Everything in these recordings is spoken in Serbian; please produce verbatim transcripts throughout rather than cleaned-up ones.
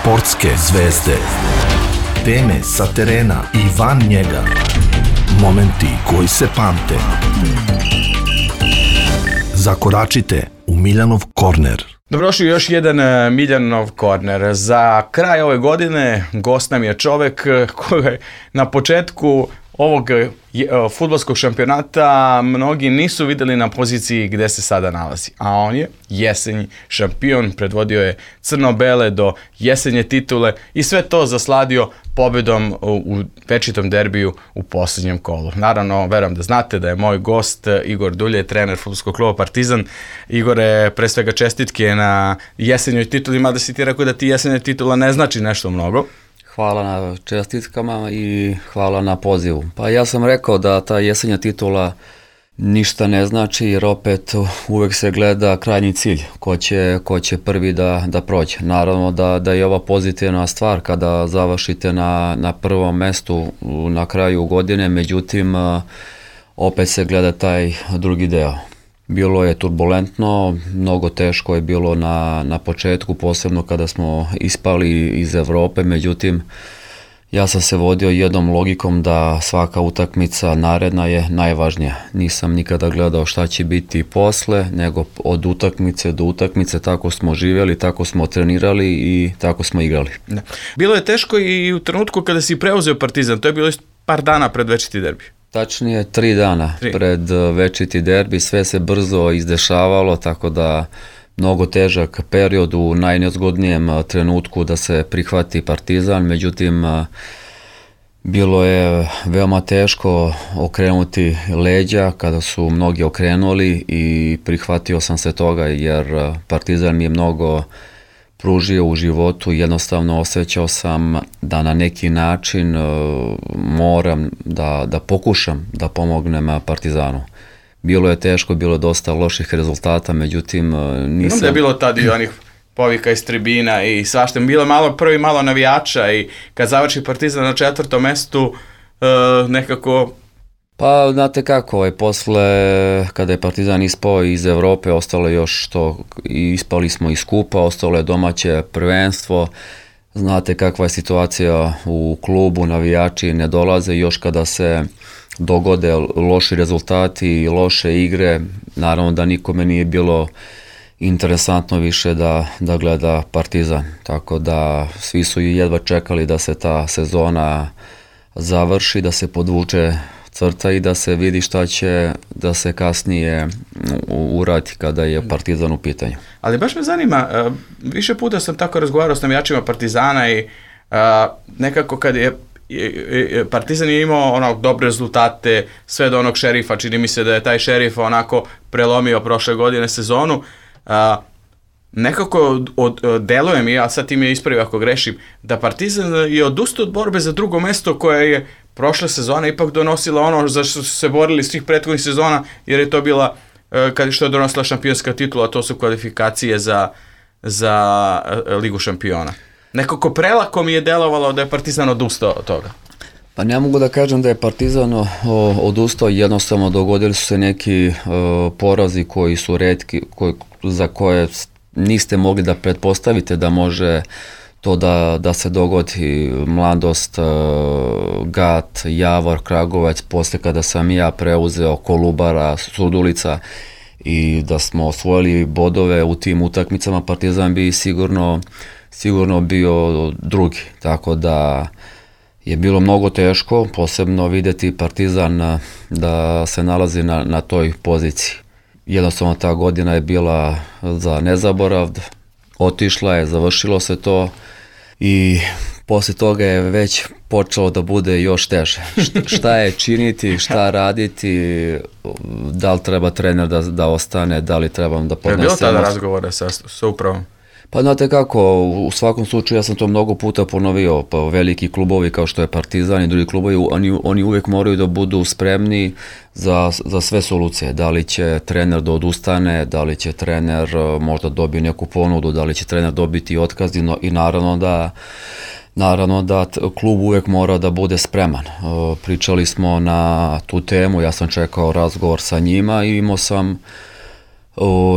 Sportske zvezde. Teme sa terena i van njega. Momenti koji se pamte. Zakoračite u Miljanov korner. Dobrodošli u još jedan Miljanov korner. Za kraj ove godine gost nam je čovek koji na početku ovog fudbalskog šampionata mnogi nisu videli na poziciji gde se sada nalazi. A on je jesenji šampion, predvodio je crno-bele do jesenje titule i sve to zasladio pobedom u večitom derbiju u poslednjem kolu. Naravno, verujem da znate da je moj gost Igor Dulje, trener fudbalskog kluba Partizan. Igore, pre svega čestitke na jesenjoj tituli, mada si ti rekao da ti jesenja titula ne znači nešto mnogo. Hvala na čestitkama i hvala na pozivu. Pa ja sam rekao da ta jesenja titula ništa ne znači, jer opet uvek se gleda krajnji cilj, ko će, ko će prvi da, da prođe. Naravno da, da je ova pozitivna stvar kada završite na, na prvom mestu na kraju godine, međutim opet se gleda taj drugi deo. Bilo je turbulentno, mnogo teško je bilo na, na početku, posebno kada smo ispali iz Evrope, međutim ja sam se vodio jednom logikom da svaka utakmica naredna je najvažnija. Nisam nikada gledao šta će biti posle, nego od utakmice do utakmice, tako smo živjeli, tako smo trenirali i tako smo igrali. Da. Bilo je teško i u trenutku kada si preuzeo Partizan, to je bilo par dana pred večiti derbi. Tačnije tri dana tri. pred večiti derbi, sve se brzo izdešavalo, tako da mnogo težak period u najnezgodnijem trenutku da se prihvati Partizan, međutim bilo je veoma teško okrenuti leđa kada su mnogi okrenuli i prihvatio sam se toga jer Partizan mi je mnogo pružio u životu, jednostavno osjećao sam da na neki način uh, moram da, da pokušam da pomognem Partizanu. Bilo je teško, bilo je dosta loših rezultata, međutim uh, nisam... Znam da je bilo tad i onih povika iz tribina i svašta. Bilo malo prvi malo navijača i kad završi Partizan na četvrtom mestu uh, nekako... Pa, znate kako, je posle, kada je Partizan ispao iz Evrope, ostalo je još što, ispali smo iz kupa, ostalo je domaće prvenstvo, znate kakva je situacija u klubu, navijači ne dolaze, još kada se dogode loši rezultati i loše igre, naravno da nikome nije bilo interesantno više da, da gleda Partizan, tako da svi su jedva čekali da se ta sezona završi, da se podvuče crta i da se vidi šta će da se kasnije uradi kada je Partizan u pitanju. Ali baš me zanima, više puta sam tako razgovarao s navijačima Partizana i nekako kad je Partizan je imao ono dobre rezultate, sve do onog Šerifa, čini mi se da je taj Šerif onako prelomio prošle godine sezonu. Nekako od, od, deluje mi, a sad ti me ispravi ako grešim, da Partizan je odustao od borbe za drugo mesto koje je prošle sezone ipak donosila ono za što su se borili svih prethodnih sezona, jer je to bila, kad što je donosila šampionska titula, to su kvalifikacije za, za Ligu šampiona. Nekako prelako mi je delovalo da je Partizan odustao od toga. Pa ne mogu da kažem da je Partizan odustao, jednostavno dogodili su se neki uh, porazi koji su retki, koji, za koje niste mogli da pretpostavite da može to da, da se dogodi. Mladost, Gat, Javor, Kragujevac, posle kada sam ja preuzeo Kolubara, Surdulica i da smo osvojili bodove u tim utakmicama, Partizan bi sigurno, sigurno bio drugi. Tako da je bilo mnogo teško, posebno videti Partizan da se nalazi na, na toj poziciji. Jednostavno ta godina je bila za nezaborav, otišla je, završilo se to i posle toga je već počelo da bude još teže. Šta je činiti, šta raditi, da li treba trener da, da ostane, da li trebam da podnesem. Je bilo tada razgovore sa, sa upravom? Pa znate kako, u svakom slučaju ja sam to mnogo puta ponovio, pa veliki klubovi kao što je Partizan i drugi klubovi, oni, oni uvijek moraju da budu spremni za, za sve solucije. Da li će trener da odustane, da li će trener možda dobiti neku ponudu, da li će trener dobiti otkaz i, no, i naravno da Naravno da klub uvijek mora da bude spreman. Pričali smo na tu temu, ja sam čekao razgovor sa njima i imao sam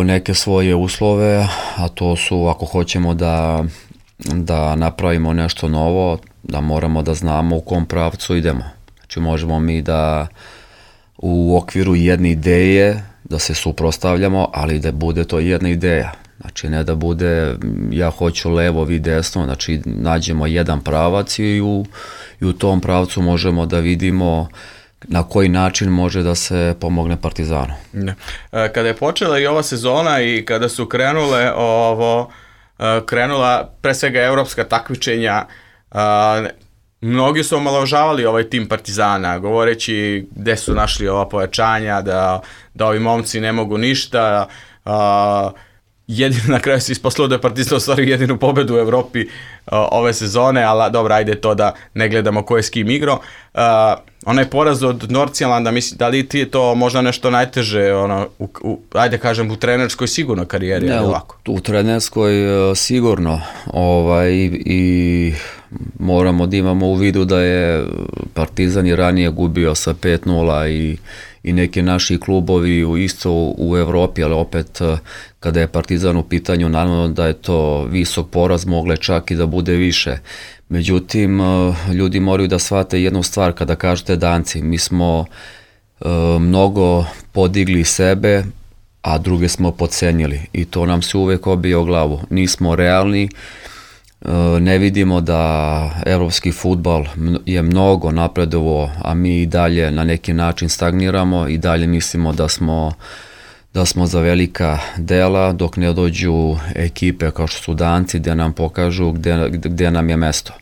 neke svoje uslove, a to su ako hoćemo da da napravimo nešto novo, da moramo da znamo u kom pravcu idemo. Znači možemo mi da u okviru jedne ideje da se suprotstavljamo, ali da bude to jedna ideja. Znači ne da bude ja hoću levo, vi desno, znači nađemo jedan pravac i u, i u tom pravcu možemo da vidimo na koji način može da se pomogne Partizanu. Ne. Kada je počela i ova sezona i kada su krenule ovo, krenula pre svega evropska takmičenja, mnogi su omalovažavali ovaj tim Partizana, govoreći gde su našli ova pojačanja, da, da ovi momci ne mogu ništa. Jedino na kraju se isposlao da je Partizan ostvario jedinu pobedu u Evropi uh, ove sezone, ali dobro, ajde to da ne gledamo ko je s kim igrao. Uh, onaj poraz od Nordsjælanda, mislim, da li ti je to možda nešto najteže, ono, u, u, ajde kažem, u trenerskoj sigurno karijeri? Ne, u, u trenerskoj uh, sigurno, ovaj, i moramo da imamo u vidu da je Partizan i ranije gubio sa pet nula i i neki naši klubovi u isto u Evropi, ali opet kada je Partizan u pitanju, naravno da je to visok poraz, mogle čak i da bude više. Međutim, ljudi moraju da shvate jednu stvar kada kažete Danci. Mi smo e, mnogo podigli sebe, a druge smo podcenjili i to nam se uvek obije o glavu. Nismo realni, ne vidimo da evropski fudbal je mnogo napredovao, a mi i dalje na neki način stagniramo i dalje mislimo da smo, da smo za velika dela dok ne dođu ekipe kao što su Danci gde nam pokažu gde, gde nam je mesto.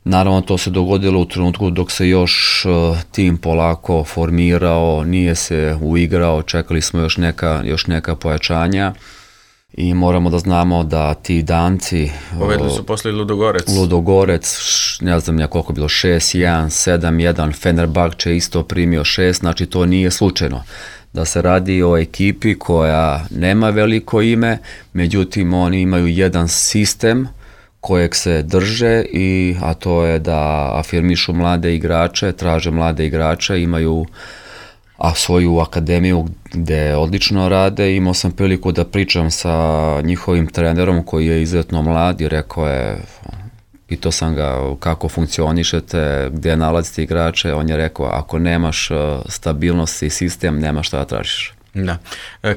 Naravno to se dogodilo u trenutku dok se još tim polako formirao, nije se uigrao, čekali smo još neka, još neka pojačanja. I moramo da znamo da ti Danci... Povedli su posle Ludogorec. Ludogorec, ne znam ja koliko je bilo, šest jedan, sedam jedan, Fenerbahče isto primio šest, znači to nije slučajno. Da se radi o ekipi koja nema veliko ime, međutim oni imaju jedan sistem kojeg se drže, i, a to je da afirmišu mlade igrače, traže mlade igrače, imaju a svoju akademiju gde odlično rade. Imao sam priliku da pričam sa njihovim trenerom koji je izuzetno mlad i rekao je, pitao sam ga kako funkcionišete, gde nalazite igrače, on je rekao ako nemaš stabilnost i sistem, nema šta da tražiš. Da.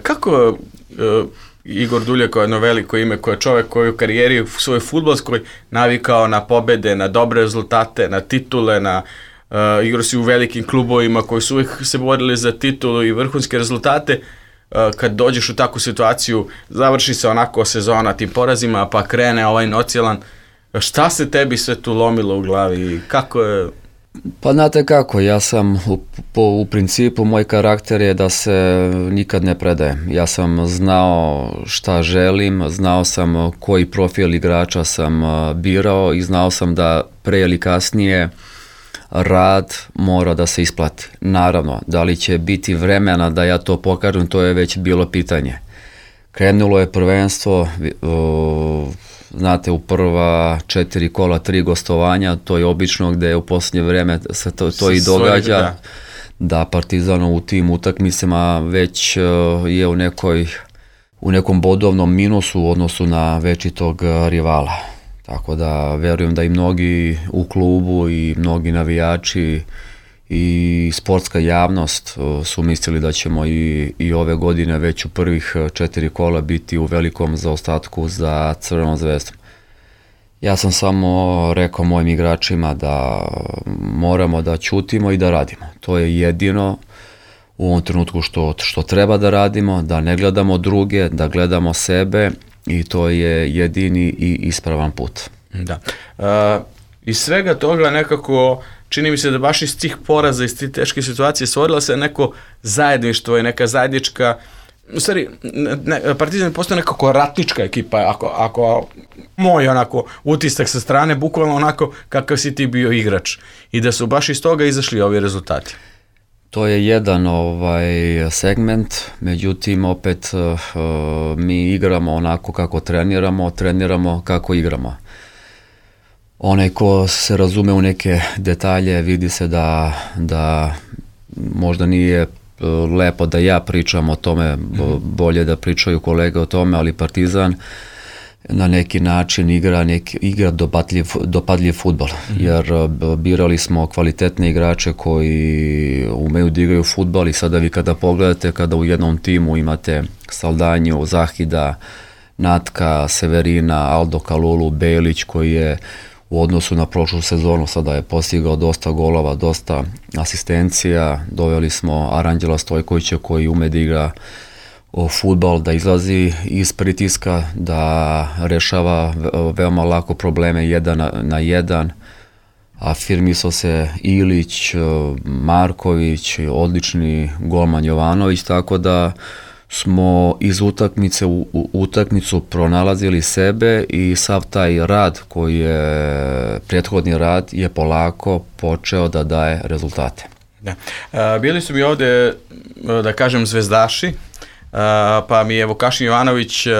Kako uh, Igor Duljak, jedno veliko ime, koji je čovek koji u karijeri u svojoj fudbalskoj navikao na pobede, na dobre rezultate, na titule, na Uh, igrao si u velikim klubovima koji su uvijek se borili za titulu i vrhunske rezultate. Uh, kad dođeš u takvu situaciju, završi se onako sezona tim porazima, pa krene ovaj Nordsjælland. Šta se tebi sve tu lomilo u glavi? Kako je... Pa znate kako, ja sam u, po, u principu moj karakter je da se nikad ne predajem. Ja sam znao šta želim, znao sam koji profil igrača sam birao i znao sam da pre ili kasnije rad mora da se isplati. Naravno, da li će biti vremena da ja to pokažem, to je već bilo pitanje. Krenulo je prvenstvo, o, znate, u prva četiri kola, tri gostovanja, to je obično gde u posljednje vreme se to, to i događa, da, da Partizan u tim utakmicama već o, je u nekoj, u nekom bodovnom minusu u odnosu na večitog rivala. Tako da verujem da i mnogi u klubu i mnogi navijači i sportska javnost su mislili da ćemo i, i ove godine već u prvih četiri kola biti u velikom zaostatku za Crvenom zvezdom. Ja sam samo rekao mojim igračima da moramo da ćutimo i da radimo. To je jedino u ovom trenutku što, što treba da radimo, da ne gledamo druge, da gledamo sebe, i to je jedini i ispravan put. Da. Uh, iz svega toga nekako čini mi se da baš iz tih poraza, iz tih teške situacije stvorila se neko zajedništvo i neka zajednička, u stvari ne, Partizan postoje nekako ratnička ekipa, ako, ako moj onako utisak sa strane, bukvalno onako kakav si ti bio igrač, i da su baš iz toga izašli ovi rezultati. To je jedan ovaj segment, međutim opet uh, mi igramo onako kako treniramo, treniramo kako igramo. Onaj ko se razume u neke detalje vidi se da, da možda nije lepo da ja pričam o tome, bolje da pričaju kolege o tome, ali Partizan na neki način igra, neki, igra dopadljiv, dopadljiv fudbal, mm-hmm. jer birali smo kvalitetne igrače koji umeju da igraju fudbal i sada vi kada pogledate, kada u jednom timu imate Saldanju, Zahida, Natka, Severina, Aldo Kalulu, Belić koji je u odnosu na prošlu sezonu sada je postigao dosta golova, dosta asistencija, doveli smo Aranđela Stojkovića koji ume da igra o fudbal, da izlazi iz pritiska, da rešava veoma lako probleme jedan na, na jedan. Afirmisao se Ilić, Marković, odlični golman Jovanović, tako da smo iz utakmice u, u utakmicu pronalazili sebe i sav taj rad koji je, prethodni rad je polako počeo da daje rezultate. Da. A, bili su mi ovde, da kažem, zvezdaši, Uh, pa mi je Vukašin Jovanović uh,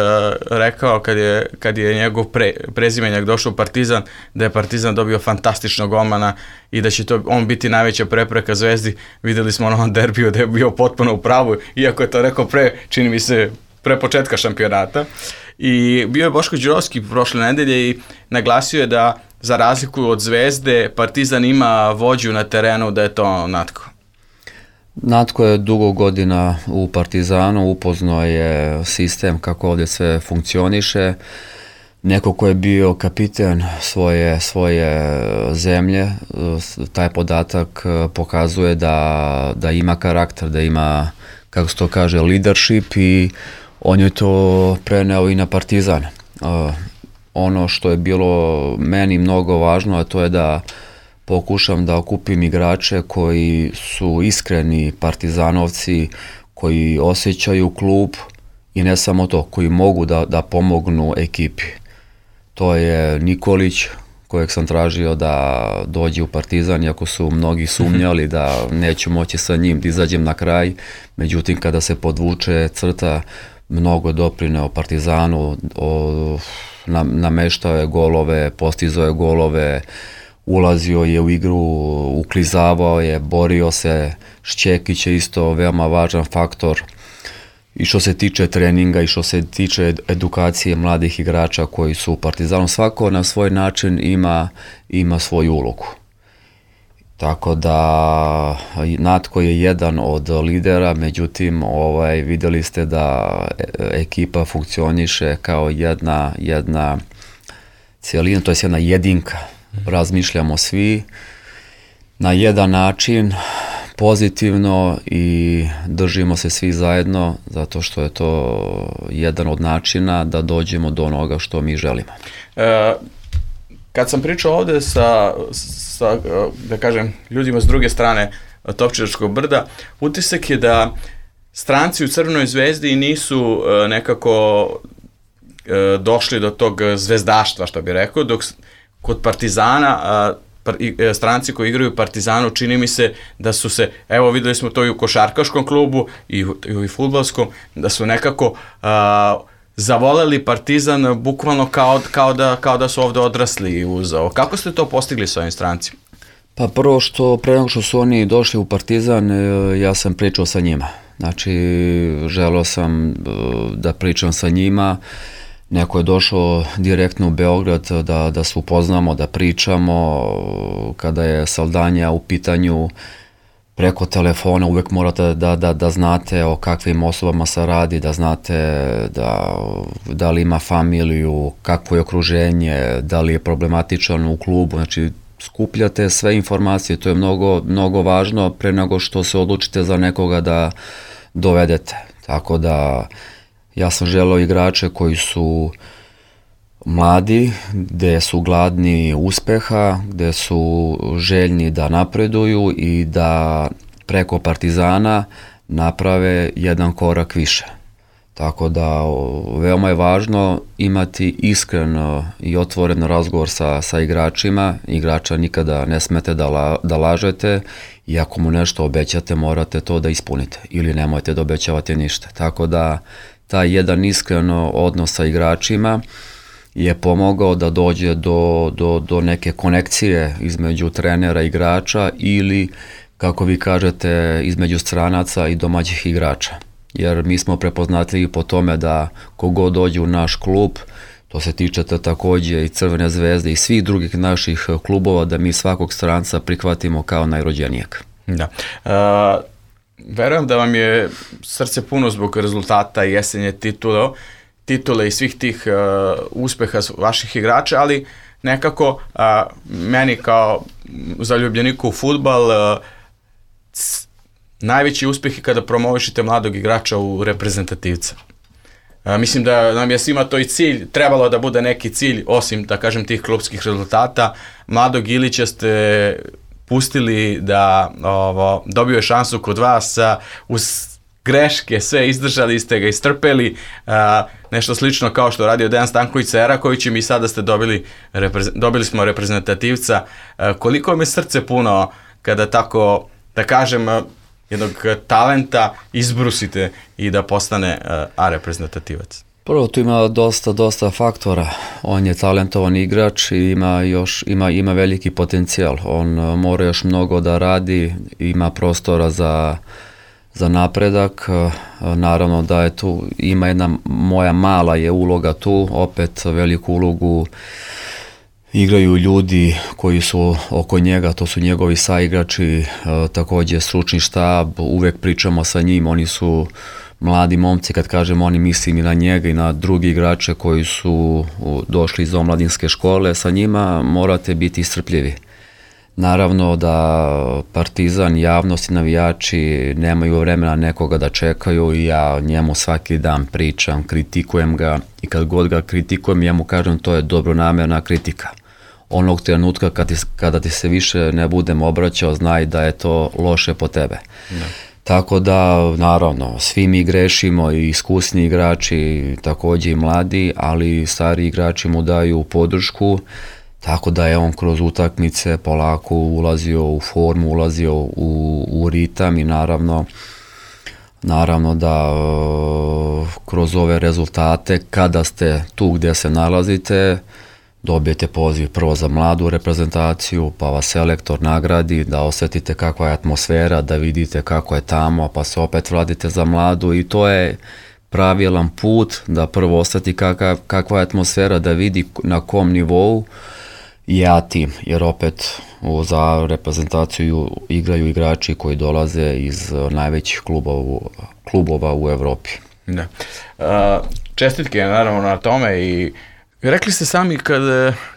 rekao kad je, kad je njegov pre, prezimenjak došao u Partizan, da je Partizan dobio fantastičnog golmana i da će to on biti najveća prepreka Zvezdi. Videli smo na onom derbiju da je bio potpuno u pravu, iako je to rekao pre, čini mi se, pre početka šampionata. I bio je Boško Đurovski prošle nedelje i naglasio je da za razliku od Zvezde Partizan ima vođu na terenu, da je to Natko. Natko je dugo godina u Partizanu, upoznao je sistem kako ovdje sve funkcioniše. Neko ko je bio kapiten svoje, svoje zemlje, taj podatak pokazuje da, da ima karakter, da ima, kako se to kaže, leadership i on je to preneo i na Partizan. Ono što je bilo meni mnogo važno, a to je da pokušam da okupim igrače koji su iskreni partizanovci, koji osjećaju klub i ne samo to, koji mogu da, da pomognu ekipi. To je Nikolić, kojeg sam tražio da dođe u Partizan, iako su mnogi sumnjali da neću moći sa njim da izađem na kraj. Međutim, kada se podvuče crta, mnogo doprineo Partizanu, o, nameštao je golove, postizao je golove, ulazio je u igru, uklizavao je, borio se. Šćekić je isto veoma važan faktor i što se tiče treninga i što se tiče edukacije mladih igrača koji su u Partizanu. Svako na svoj način ima, ima svoju ulogu. Tako da Natko je jedan od lidera, međutim ovaj, vidjeli ste da ekipa funkcioniše kao jedna, jedna cijelina, to je jedna jedinka. Razmišljamo svi na jedan način, pozitivno i držimo se svi zajedno, zato što je to jedan od načina da dođemo do onoga što mi želimo. E, kad sam pričao ovde sa, sa, da kažem, ljudima s druge strane Topčidačkog brda, utisak je da stranci u Crvenoj zvezdi nisu e, nekako e, došli do tog zvezdaštva, što bi rekao, dok kod Partizana, a, stranci koji igraju u Partizanu, čini mi se da su se, evo videli smo to i u košarkaškom klubu i u, i u fudbalskom, da su nekako a, zavoleli Partizan bukvalno kao, kao, da, kao da su ovde odrasli uz ovo. Kako ste to postigli sa ovim strancima? Pa prvo što, pre nego što su oni došli u Partizan, ja sam pričao sa njima. Znači, želeo sam da pričam sa njima. Neko je došao direktno u Beograd da, da se upoznamo, da pričamo. Kada je Saldanja u pitanju, preko telefona uvek morate da, da, da znate o kakvim osobama se radi, da znate da, da li ima familiju, kakvo je okruženje, da li je problematičan u klubu. Znači, skupljate sve informacije, to je mnogo, mnogo važno pre nego što se odlučite za nekoga da dovedete. Tako da ja sam želeo igrače koji su mladi, gde su gladni uspeha, gde su željni da napreduju i da preko Partizana naprave jedan korak više. Tako da veoma je važno imati iskren i otvoren razgovor sa, sa igračima. Igrača nikada ne smete da, la, da lažete i ako mu nešto obećate morate to da ispunite ili nemojte da obećavate ništa. Tako da taj jedan iskren odnos sa igračima je pomogao da dođe do, do, do neke konekcije između trenera i igrača ili, kako vi kažete, između stranaca i domaćih igrača. Jer mi smo prepoznatljivi po tome da kogod dođe u naš klub, To se tiče takođe i Crvene zvezde i svih drugih naših klubova, da mi svakog stranca prihvatimo kao najrođenijeg. Da. Uh, verujem da vam je srce puno zbog rezultata i jesenje titule, titule i svih tih uh, uspeha vaših igrača, ali nekako uh, meni kao zaljubljeniku u fudbal uh, c, najveći uspeh je kada promovišite mladog igrača u reprezentativca. Uh, mislim da nam je svima to i cilj, trebalo da bude neki cilj, osim, da kažem, tih klubskih rezultata. Mladog Ilića ste pustili da ovo, dobio je šansu kod vas, uh, uz greške, sve izdržali ste ga, istrpeli, uh, nešto slično kao što radio Dejan Stanković sa Erakovićem i sada ste dobili, dobili smo reprezentativca. Uh, koliko vam je srce puno kada tako, da kažem, uh, jednog talenta izbrusite i da postane uh, A reprezentativac? Prvo, tu ima dosta, dosta faktora. On je talentovan igrač i ima, još, ima, ima veliki potencijal. On uh, mora još mnogo da radi, ima prostora za za napredak. Naravno da je tu, ima jedna moja mala je uloga tu, opet veliku ulogu igraju ljudi koji su oko njega, to su njegovi saigrači, takođe stručni štab, uvek pričamo sa njim, oni su mladi momci, kad kažem oni, mislim i na njega i na drugi igrače koji su došli iz omladinske škole, sa njima morate biti strpljivi. Naravno da Partizan, javnost i navijači nemaju vremena nekoga da čekaju i ja njemu svaki dan pričam, kritikujem ga i kad god ga kritikujem, ja mu kažem to je dobronamerna kritika. Onog trenutka kad ti, kada ti se više ne budem obraćao, znaj da je to loše po tebe. Da. Tako da, naravno, svi mi grešimo, i iskusni igrači, takođe i mladi, ali stari igrači mu daju podršku. Tako da je on kroz utakmice polako ulazio u formu, ulazio u, u ritam i naravno, naravno da uh, kroz ove rezultate, kada ste tu gde se nalazite, dobijete poziv prvo za mladu reprezentaciju, pa vas selektor nagradi, da osetite kakva je atmosfera, da vidite kako je tamo, pa se opet vratite za mladu i to je pravilan put da prvo osjeti kakva, kakva je atmosfera, da vidi na kom nivou je A tim, jer opet za reprezentaciju igraju igrači koji dolaze iz najvećih klubova, klubova u Evropi. Da. Uh, čestitke naravno na tome i rekli ste sami kad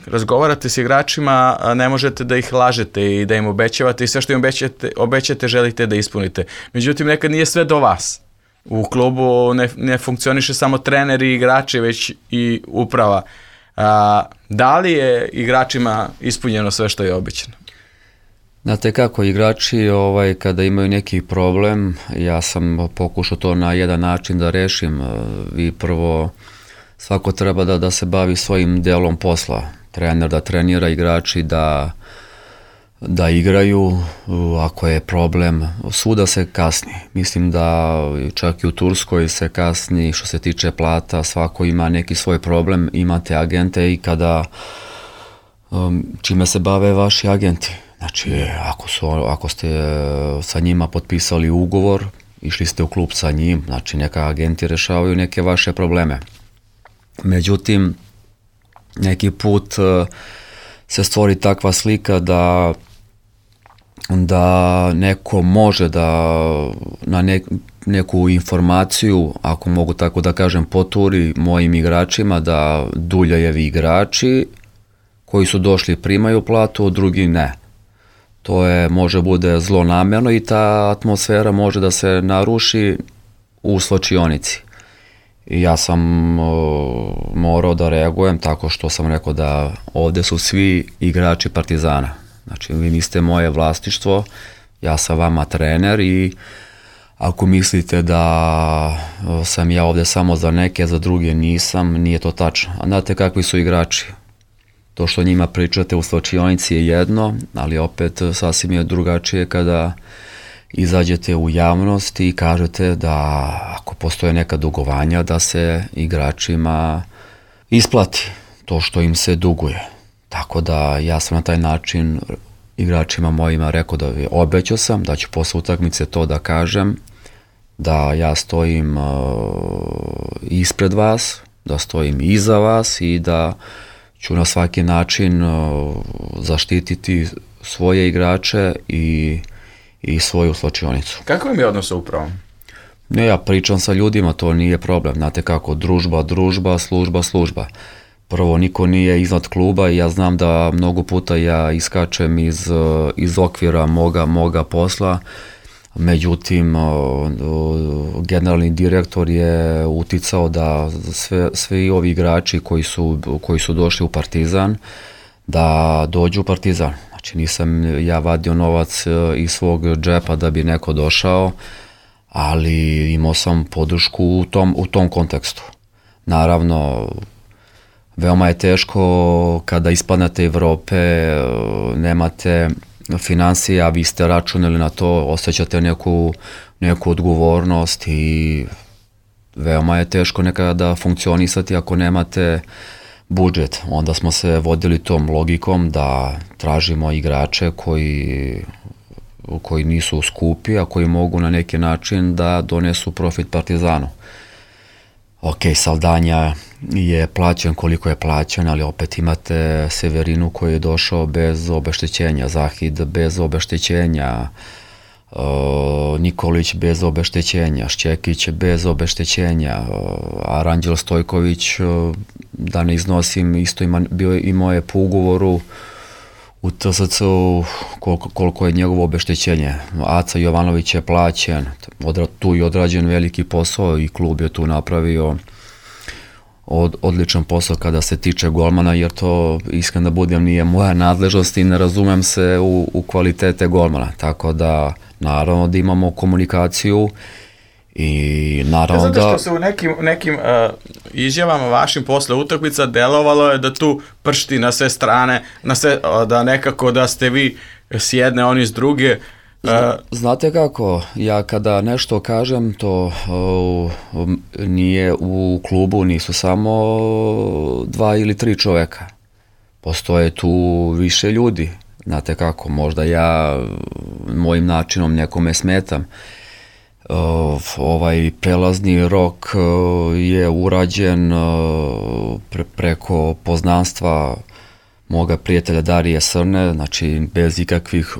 razgovarate s igračima ne možete da ih lažete i da im obećavate i sve što im obećate, obećate želite da ispunite. Međutim, nekad nije sve do vas. U klubu ne, ne funkcioniše samo treneri i igrači, već i uprava. A, da li je igračima ispunjeno sve što je obećano? Znate kako, igrači ovaj, kada imaju neki problem, ja sam pokušao to na jedan način da rešim. Vi prvo, svako treba da, da se bavi svojim delom posla. Trener da trenira, igrači da, da igraju, ako je problem, svuda se kasni. Mislim da čak i u Turskoj se kasni što se tiče plata, svako ima neki svoj problem, imate agente i kada um, čime se bave vaši agenti. Znači, ako, su, ako ste sa njima potpisali ugovor, išli ste u klub sa njim, znači neka agenti rešavaju neke vaše probleme. Međutim, neki put uh, se stvori takva slika da da neko može da na ne, neku informaciju, ako mogu tako da kažem, poturi mojim igračima da Duljajevi igrači koji su došli primaju platu, drugi ne. To je, može bude zlonamerno i ta atmosfera može da se naruši u slačionici. I ja sam o, morao da reagujem tako što sam rekao da ovde su svi igrači Partizana. Znači, vi niste moje vlasništvo, ja sam vama trener i ako mislite da sam ja ovde samo za neke, za druge nisam, nije to tačno. A znate kakvi su igrači? To što njima pričate u slačionici je jedno, ali opet sasvim je drugačije kada izađete u javnost i kažete da ako postoje neka dugovanja da se igračima isplati to što im se duguje. Tako da ja sam na taj način igračima mojima rekao da obećao sam da ću posle utakmice to da kažem, da ja stojim uh, ispred vas, da stojim iza vas i da ću na svaki način uh, zaštititi svoje igrače i, i svoju slačionicu. Kako vam je odnos sa upravom? Ne, ja pričam sa ljudima, to nije problem. Znate kako, družba, družba, služba, služba. Prvo, niko nije iznad kluba i ja znam da mnogo puta ja iskačem iz, iz okvira moga, moga posla. Međutim, generalni direktor je uticao da sve, svi ovi igrači koji su, koji su došli u Partizan, da dođu u Partizan. Znači nisam ja vadio novac iz svog džepa da bi neko došao, ali imao sam podršku u tom, u tom kontekstu. Naravno, veoma je teško kada ispadnete Evrope, nemate financija, vi ste računali na to, osjećate neku, neku odgovornost i veoma je teško nekada funkcionisati ako nemate budžet. Onda smo se vodili tom logikom da tražimo igrače koji, koji nisu skupi, a koji mogu na neki način da donesu profit Partizanu. Ok, Saldanja je plaćen koliko je plaćen, ali opet imate Severinu koji je došao bez obeštećenja, Zahid bez obeštećenja, uh, Nikolić bez obeštećenja, Šćekić bez obeštećenja, uh, Aranđel Stojković, uh, da ne iznosim, isto ima, bio, imao je po ugovoru u T S C-u koliko, koliko je njegovo obeštećenje. Aca Jovanović je plaćen, odra, tu je odrađen veliki posao i klub je tu napravio od, odličan posao kada se tiče golmana, jer to, iskreno da budem, nije moja nadležnost i ne razumem se u, u kvalitete golmana, tako da naravno da imamo komunikaciju i naravno da... Zato što se u nekim, nekim uh, izjavama vašim posle utakmica delovalo je da tu pršti na sve strane, na sve, da nekako da ste vi s jedne, oni s druge. Uh, Znate kako, ja kada nešto kažem, to uh, nije u klubu, nisu samo dva ili tri čoveka. Postoje tu više ljudi. Znate kako, možda ja mojim načinom nekome smetam. Uh, ovaj prelazni rok uh, je urađen uh, pre, preko poznanstva moga prijatelja Darije Srne, znači bez ikakvih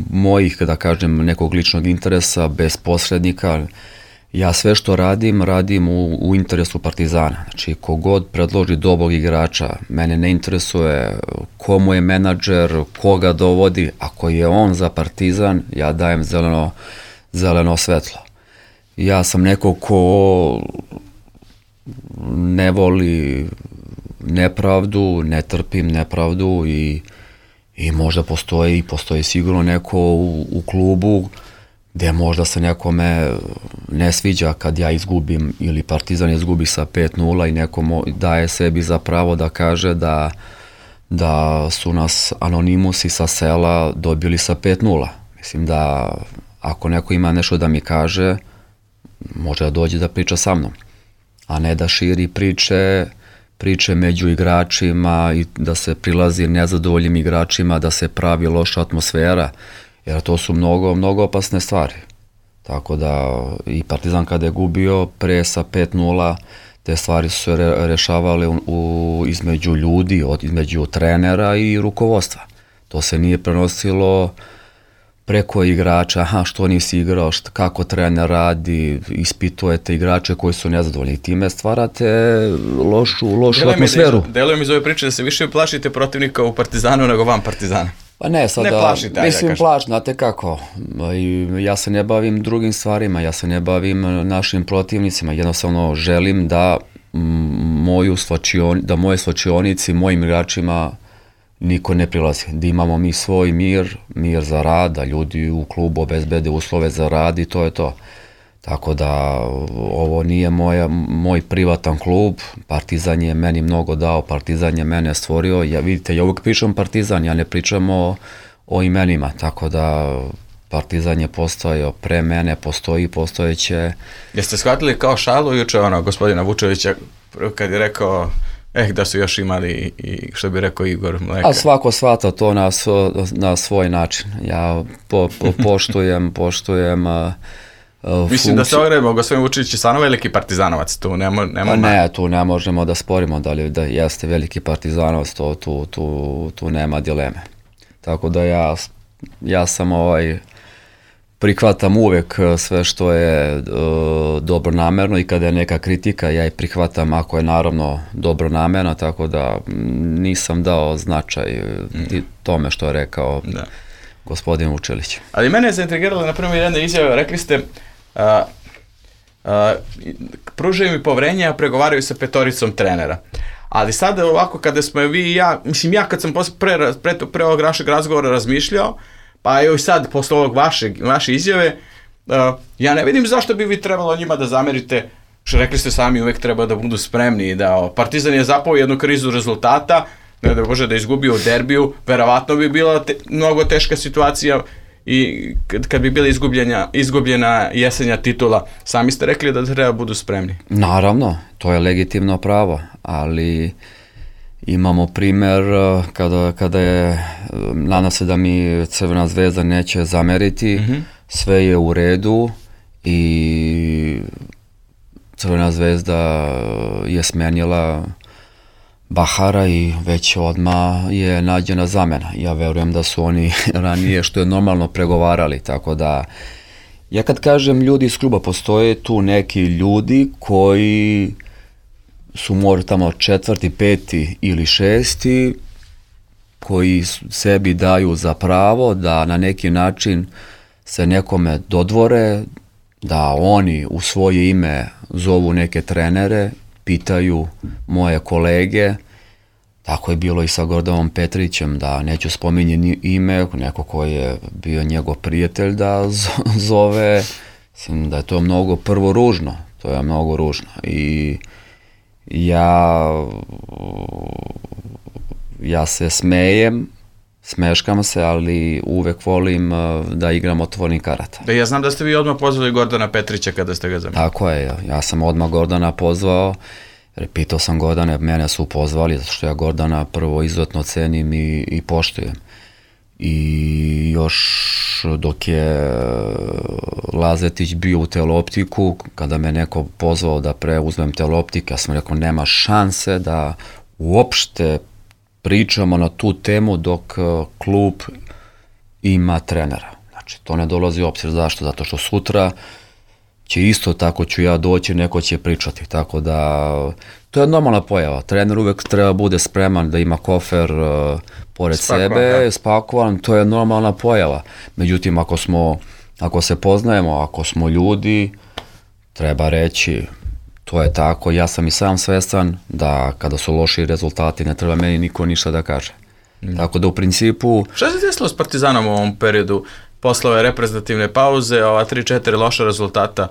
mojih, da kažem, nekog ličnog interesa, bez posrednika. Ja sve što radim, radim u, u interesu Partizana. Znači, kogod predloži dobrog igrača, mene ne interesuje komu je menadžer, koga dovodi, ako je on za Partizan, ja dajem zeleno, zeleno svetlo. Ja sam neko ko ne voli nepravdu, ne trpim nepravdu i, i možda postoji, postoji sigurno neko u, u klubu gde možda se nekome ne sviđa kad ja izgubim ili Partizan izgubi sa pet nula i neko daje sebi za pravo da kaže da, da su nas anonimusi sa sela dobili sa pet nula. Mislim da ako neko ima nešto da mi kaže, može da dođe da priča sa mnom, a ne da širi priče, priče među igračima i da se prilazi nezadovoljnim igračima, da se pravi loša atmosfera, jer to su mnogo, mnogo opasne stvari. Tako da i Partizan kada je gubio pre sa pet nula, te stvari su se re, rešavale u, u, između ljudi, od, između trenera i rukovodstva. To se nije prenosilo preko igrača, aha, što nisi igrao, šta, kako trener radi, ispitujete igrače koji su nezadovoljni i time stvarate lošu, lošu deluje atmosferu. Mi, deluje mi iz ove priče da se više plašite protivnika u Partizanu nego van Partizana. Pa ne, sada, ne plašite, mislim da plaš, znate kako, I ja se ne bavim drugim stvarima, ja se ne bavim našim protivnicima, jednostavno želim da, moju slačion, da moje slačionici, mojim igračima niko ne prilazi, da imamo mi svoj mir, mir za rad, da ljudi u klubu obezbede uslove za rad i to je to. Tako da ovo nije moja, moj privatan klub, Partizan je meni mnogo dao, Partizan je mene stvorio, ja vidite, ja uvijek pričam Partizan, ja ne pričam o, o imenima, tako da Partizan je postojao pre mene, postoji, postojeće. Jeste shvatili kao šalu juče ono, gospodina Vučevića kad je rekao eh, da su još imali i što bi rekao Igor Mleka. A svako shvata to na, na svoj način. Ja po, po, poštujem, poštujem uh, uh, Mislim da se ogledamo, gospodin Vučević je stvarno veliki partizanovac, tu nema... nema pa ne, tu ne možemo da sporimo da li da jeste veliki partizanovac, to, tu, tu, tu nema dileme. Tako da ja, ja sam ovaj... prihvatam uvek sve što je uh, dobronamerno i kada je neka kritika, ja je prihvatam ako je naravno dobronamerna, tako da nisam dao značaj mm. tome što je rekao da. gospodin Vučelić. Ali mene je zaintrigirala na primjer jedna izjava, rekli ste uh, uh, pružaju mi poverenje, a pregovaraju sa petoricom trenera. Ali sada ovako kada smo vi i ja, mislim ja kad sam pre, pre, pre ovog našeg razgovora razmišljao, pa evo i sad, posle ovog vašeg, vaše izjave, uh, ja ne vidim zašto bi vi trebalo njima da zamerite, što rekli ste sami, uvek treba da budu spremni, da o, Partizan je zapao jednu krizu rezultata, ne da može da izgubi u derbiju, verovatno bi bila te, mnogo teška situacija i kad, kad bi bila izgubljena, izgubljena jesenja titula. Sami ste rekli da treba budu spremni. Naravno, to je legitimno pravo, ali... Imamo primer kada, kada je, nadam se da mi Crvena zvezda neće zameriti, mm-hmm. sve je u redu i Crvena zvezda je smenila Bahara i već odmah je nađena zamena. Ja verujem da su oni ranije što je normalno pregovarali, tako da ja kad kažem ljudi iz kluba, postoje tu neki ljudi koji su možda tamo četvrti, peti ili šesti, koji sebi daju za pravo da na neki način se nekome dodvore, da oni u svoje ime zovu neke trenere, pitaju moje kolege, tako je bilo i sa Gordanom Petrićem, da neću spominjati ime, neko koji je bio njegov prijatelj da zove, mislim da je to mnogo prvo ružno, to je mnogo ružno i Ja, ja se smejem, smeškam se, ali uvek volim da igram otvorenih karata. Da, ja znam da ste vi odmah pozvali Gordana Petrića kada ste ga zamenili. Tako je, ja sam odmah Gordana pozvao, jer pitao sam Gordane, mene su pozvali, zato što ja Gordana prvo izuzetno cenim i, i poštujem. I još dok je Lazetić bio u Teleoptiku, kada me neko pozvao da preuzmem Teleoptik, ja sam rekao nema šanse da uopšte pričamo na tu temu dok klub ima trenera. Znači to ne dolazi u obzir. Zašto? Zato što sutra će isto tako ću ja doći, neko će pričati. Tako da to je normalna pojava. Trener uvek treba bude spreman da ima kofer uh, pored spakovan, sebe, da. spakovan, to je normalna pojava. Međutim, ako smo, ako se poznajemo, ako smo ljudi, treba reći, to je tako, ja sam i sam svestan da kada su loši rezultati, ne treba meni niko ništa da kaže. Mm. Tako da u principu... Šta se desilo s Partizanom u ovom periodu? Posle ove reprezentativne pauze, ova tri četiri loša rezultata,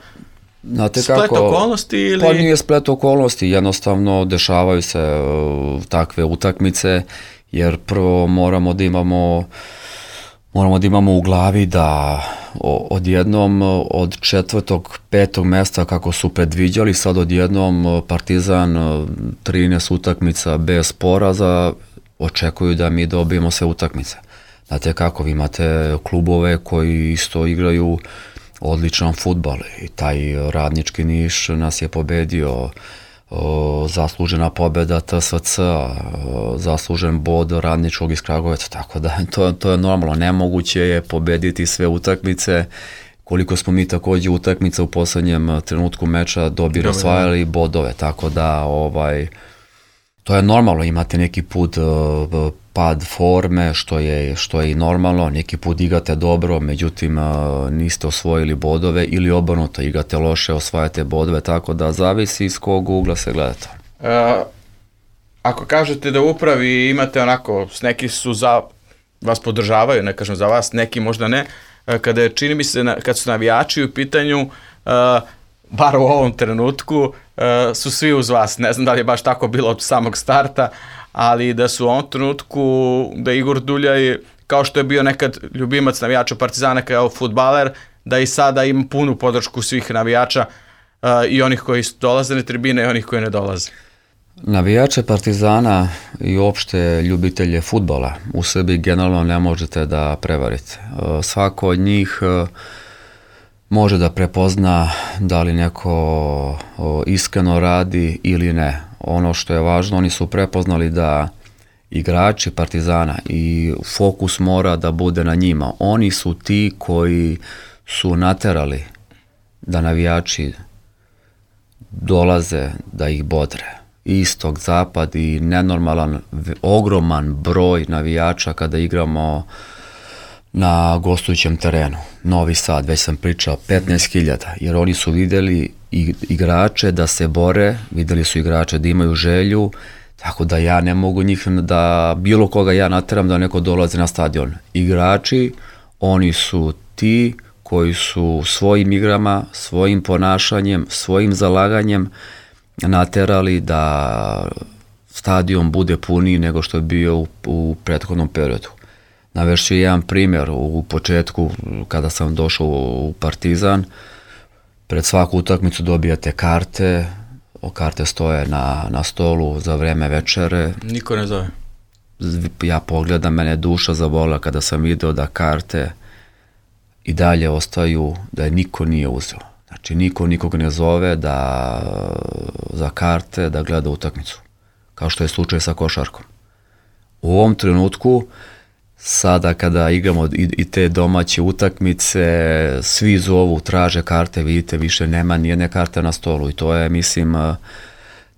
znate splet kako, okolnosti ili... Pa nije splet okolnosti, jednostavno dešavaju se uh, takve utakmice, jer prvo moramo da imamo moramo da imamo u glavi da o, odjednom od četvrtog, petog mesta kako su predviđali, sad odjednom Partizan trinaest utakmica bez poraza, očekuju da mi dobijemo sve utakmice. Znate kako, vi imate klubove koji isto igraju odličan fudbal i taj Radnički Niš nas je pobedio, o, zaslužena pobeda T S C, o, zaslužen bod Radničkog iz Kragujevca, tako da to, to je normalno, nemoguće je pobediti sve utakmice, koliko smo mi takođe utakmica u poslednjem trenutku meča dobili, osvajali bodove, tako da ovaj, to je normalno, imate neki put uh, pad forme, što je, što je i normalno, neki put igrate dobro, međutim uh, niste osvojili bodove ili obrnuto, igrate loše, osvajate bodove, tako da zavisi iz kog ugla se gledate. Uh, ako kažete da u upravi imate onako, neki su za, vas podržavaju, ne kažem za vas, neki možda ne, uh, kada je, čini mi se, kad su navijači u pitanju, uh, bar u ovom trenutku, uh, su svi uz vas. Ne znam da li je baš tako bilo od samog starta, ali da su u ovom trenutku, da Igor Duljaj, kao što je bio nekad ljubimac navijača Partizana kao fudbaler, da i sada ima punu podršku svih navijača, uh, i onih koji dolaze na tribine i onih koji ne dolaze. Navijače Partizana i uopšte ljubitelje fudbala u Srbiji generalno ne možete da prevarite. Uh, svako od njih uh, može da prepozna da li neko o, iskreno radi ili ne. Ono što je važno, oni su prepoznali da igrači Partizana i fokus mora da bude na njima. Oni su ti koji su naterali da navijači dolaze da ih bodre. Istok, zapad i nenormalan, ogroman broj navijača kada igramo na gostujućem terenu. Novi Sad, već sam pričao, petnaest hiljada, jer oni su vidjeli igrače da se bore, vidjeli su igrače da imaju želju, tako da ja ne mogu njih da bilo koga ja nateram da neko dolazi na stadion. Igrači, oni su ti koji su svojim igrama, svojim ponašanjem, svojim zalaganjem naterali da stadion bude puniji nego što je bio u, u prethodnom periodu. Navešću jedan primjer, u početku kada sam došao u Partizan, pred svaku utakmicu dobijate karte, o karte stoje na, na stolu za vreme večere. Niko ne zove. Ja pogledam, mene duša zabola kada sam video da karte i dalje ostaju, da je niko nije uzeo. Znači niko nikog ne zove da za karte da gleda utakmicu, kao što je slučaj sa košarkom. U ovom trenutku, sada kada igramo i, i te domaće utakmice, svi zovu, traže karte, vidite, više nema nijedne karte na stolu i to je, mislim,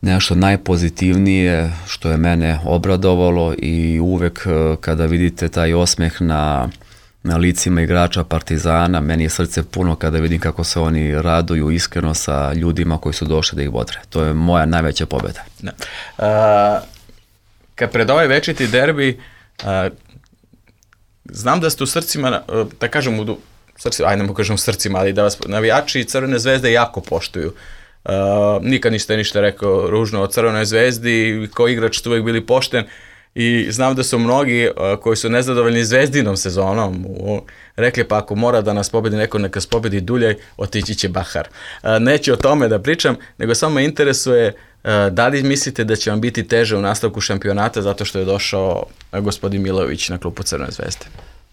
nešto najpozitivnije što je mene obradovalo i uvek kada vidite taj osmeh na, na licima igrača Partizana, meni je srce puno kada vidim kako se oni raduju iskreno sa ljudima koji su došli da ih bodre. To je moja najveća pobjeda. Da. A, kad pred ovaj večiti derbi, a, znam da ste u srcima, da kažem u srcima, ajde ne kažem u srcima, ali da vas navijači Crvene zvezde jako poštuju. Uh, nikad niste ništa rekao ružno o Crvenoj zvezdi, kao igrač ste uvijek bili pošten i znam da su mnogi uh, koji su nezadovoljni Zvezdinom sezonom uh, rekli pa ako mora da nas pobedi neko, neka nas pobedi Duljaj, otići će Bahar. Uh, neću o tome da pričam, nego samo me interesuje uh, da li mislite da će vam biti teže u nastavku šampionata zato što je došao uh, gospodin Milojević na klupu Crvene zvezde?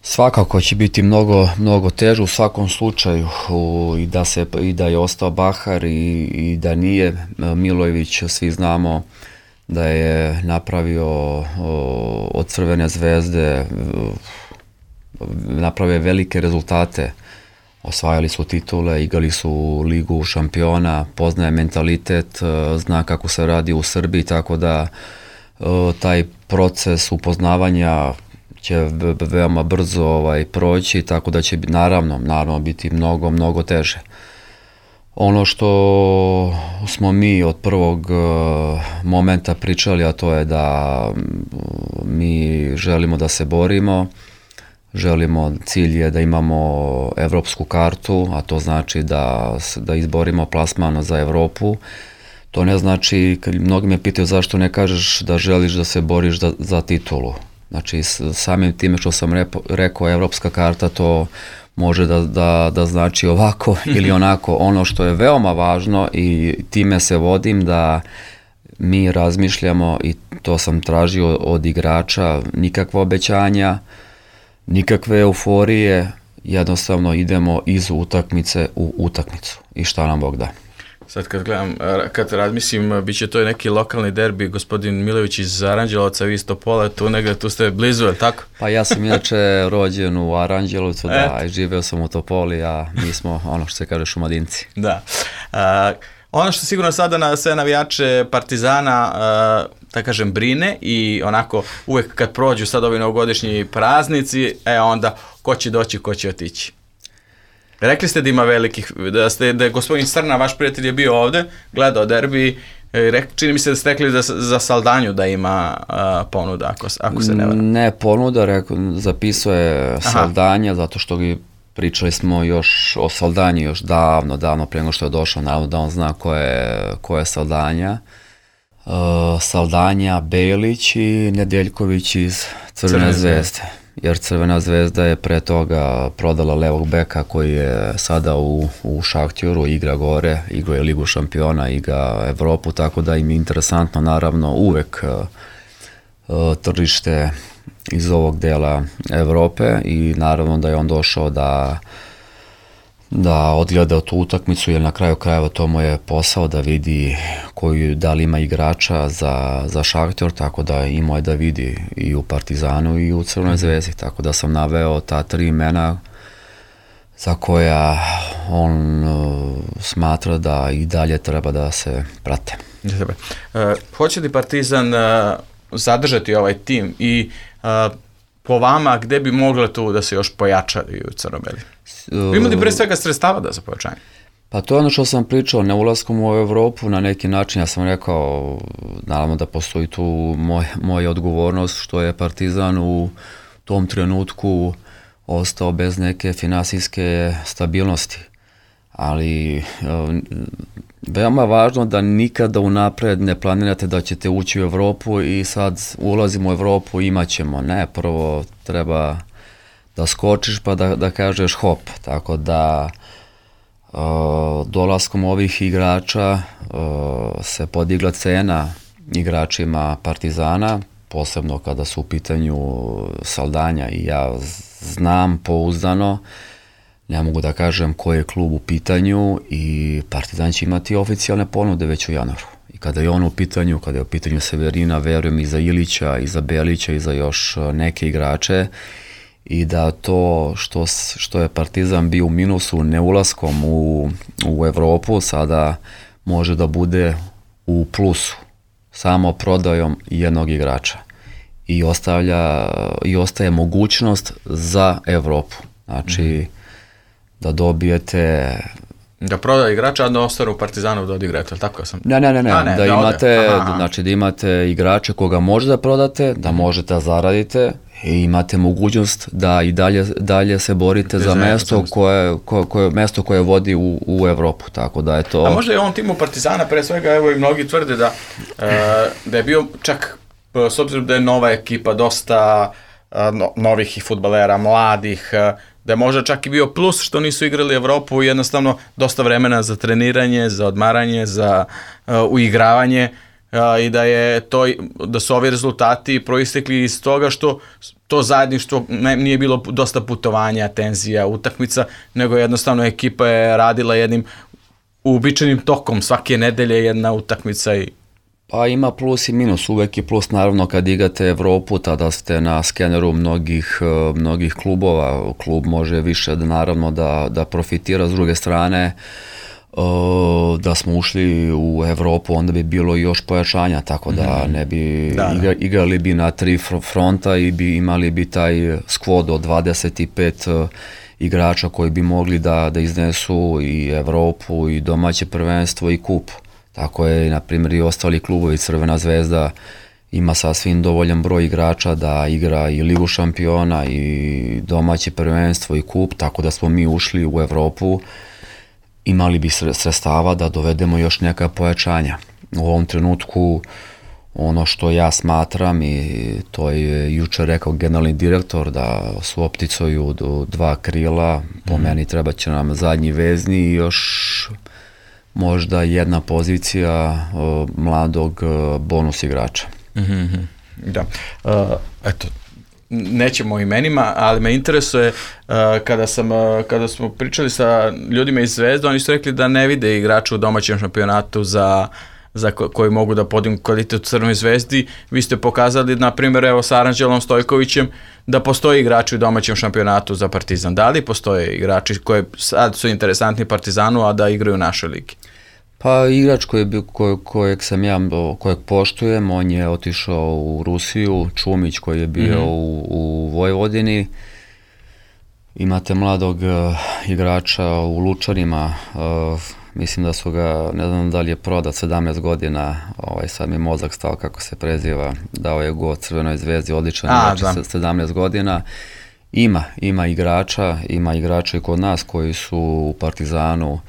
Svakako će biti mnogo, mnogo teže u svakom slučaju u, i, da se, i da je ostao Bahar i, i da nije Milojević, svi znamo da je napravio o, od Crvene zvezde, napravio velike rezultate, osvajali su titule, igrali su ligu šampiona, poznaje mentalitet, zna kako se radi u Srbiji, tako da taj proces upoznavanja će veoma brzo ovaj, proći, tako da će naravno, naravno biti mnogo, mnogo teže. Ono što smo mi od prvog uh, momenta pričali, a to je da mi želimo da se borimo, želimo, cilj je da imamo evropsku kartu, a to znači da, da izborimo plasman za Evropu. To ne znači, mnogi me pitaju zašto ne kažeš da želiš da se boriš da, za titulu. Znači, samim time što sam repo, rekao evropska karta, to može da, da, da znači ovako ili onako. Ono što je veoma važno i time se vodim da mi razmišljamo i to sam tražio od igrača, nikakva obećanja, nikakve euforije, jednostavno idemo iz utakmice u utakmicu i šta nam Bog da. Sad kad gledam, kad razmislim, bit će to neki lokalni derbi, gospodin Milojević iz Aranđelovca, vi iz Topole, tu negdje, tu ste blizu, je tako? Pa ja sam inače rođen u Aranđelovcu, da, i živeo sam u Topoli, a mi smo, ono što se kaže, šumadinci. Da. A, ono što sigurno sada na sve navijače Partizana, a, da kažem, brine i onako uvek kad prođu sad ovi novogodišnji praznici, e onda ko će doći, ko će otići. Rekli ste da ima velikih, da, ste, da je gospodin Srna, vaš prijatelj, je bio ovde, gledao derbi, rek, čini mi se da ste rekli da, za Saldanju da ima uh, ponuda, ako, ako se ne varam. Ne ponuda, reko, zapisao je Saldanja, zato što gi pričali smo još o Saldanji još davno, davno prije nego što je došao, naravno da on zna ko je, ko je Saldanja. Uh, Saldanja, Belić i Nedeljković iz Crvene, Crvene zvezde. Jer Crvena zvezda je pre toga prodala levog beka koji je sada u, u Šahtjoru, igra gore, igra je Ligu šampiona, igra Evropu, tako da im je interesantno naravno uvek uh, tržište iz ovog dela Evrope i naravno da je on došao da, da odgleda tu utakmicu, jer na kraju krajeva to mu je posao da vidi koju, da li ima igrača za, za Šahtjor, tako da imao je da vidi i u Partizanu i u Crvenoj zvezdi, tako da sam naveo ta tri imena za koja on uh, smatra da i dalje treba da se prate. Uh, hoće li Partizan uh, zadržati ovaj tim i uh, po vama gde bi moglo tu da se još pojačaju crno-beli? Uh, Ima li pre svega sredstava da za pojačanje? Pa to je ono što sam pričao, ne ulaskom u Evropu na neki način, ja sam rekao, naravno da postoji tu moj, moja odgovornost što je Partizan u tom trenutku ostao bez neke finansijske stabilnosti. Ali veoma važno da nikada unapred ne planirate da ćete ući u Evropu i sad ulazimo u Evropu, imat ćemo. Ne, prvo treba da skočiš pa da, da kažeš hop. Tako da uh, dolaskom ovih igrača uh, se podigla cena igračima Partizana, posebno kada su u pitanju Saldanja i ja znam pouzdano, ne mogu da kažem koji je klub u pitanju i Partizan će imati oficijalne ponude već u januaru. I kada je on u pitanju, kada je u pitanju Severina, verujem i za Ilića, i za Belića, i za još neke igrače i da to što, što je Partizan bio u minusu neulaskom u, u Evropu, sada može da bude u plusu samo prodajom jednog igrača. I ostavlja, i ostaje mogućnost za Evropu. Znači, da dobijete... Da proda igrača, a da ostane u Partizanu da odigrate, ali tako sam? Ne, ne, ne, ne, a, ne da, da imate, aha, znači da imate igrače koga možete da prodate, da možete da zaradite i imate mogućnost da i dalje, dalje se borite za mesto koje, koje, koje, mesto koje vodi u, u Evropu, tako da je to... A možda je on timu Partizana, pre svega, evo i mnogi tvrde da, e, da je bio čak, s obzirom da je nova ekipa, dosta no, novih i fudbalera, mladih, da je možda čak i bio plus što nisu igrali Evropu i jednostavno dosta vremena za treniranje, za odmaranje, za uh, uigravanje uh, i da je to, da su ovi rezultati proistekli iz toga što to zajedništvo ne, nije bilo dosta putovanja, tenzija, utakmica, nego jednostavno ekipa je radila jednim uobičajenim tokom, svake nedelje jedna utakmica i... Pa ima plus i minus, uvek je plus naravno kad igrate Evropu, tada ste na skeneru mnogih, mnogih klubova, klub može više da, naravno da, da profitira, s druge strane da smo ušli u Evropu onda bi bilo još pojačanja, tako da ne bi da, igra, igrali bi na tri fronta i bi imali bi taj skvod od dvadeset pet igrača koji bi mogli da, da iznesu i Evropu i domaće prvenstvo i kup. Tako je, na primjer, i ostali klubovi. Crvena zvezda ima sasvim dovoljan broj igrača da igra i Ligu šampiona i domaće prvenstvo i kup, tako da smo mi ušli u Evropu, imali bi sredstava da dovedemo još neka pojačanja. U ovom trenutku ono što ja smatram, i to je juče rekao generalni direktor, da su opticuju dva krila, po mm. meni treba će nam zadnji vezni i još... možda jedna pozicija uh, mladog uh, bonus igrača. Mm-hmm. Da. Uh, eto, nećemo o imenima, ali me interesuje uh, kada, sam, uh, kada smo pričali sa ljudima iz Zvezde, oni su rekli da ne vide igrača u domaćem šampionatu za, za ko, koji mogu da podignu kvalitet u Crvenoj zvezdi. Vi ste pokazali, na primjer, evo sa Aranđelom Stojkovićem, da postoje igrači u domaćem šampionatu za Partizan. Da li postoje igrači koji sad su interesantni Partizanu, a da igraju u našoj ligi? Pa igrač koji, koj, kojeg sam ja, kojeg poštujem, on je otišao u Rusiju, Čumić koji je bio mm-hmm. u, u Vojvodini. Imate mladog uh, igrača u Lučanima, uh, mislim da su ga, ne znam da li je prodat, sedamnaest godina, ovaj, sad mi mozak stao kako se preziva, dao je go Crvenoj zvezdi, odličan igrač, sedamnaest godina. Ima, ima igrača, ima igrača i kod nas koji su u Partizanu.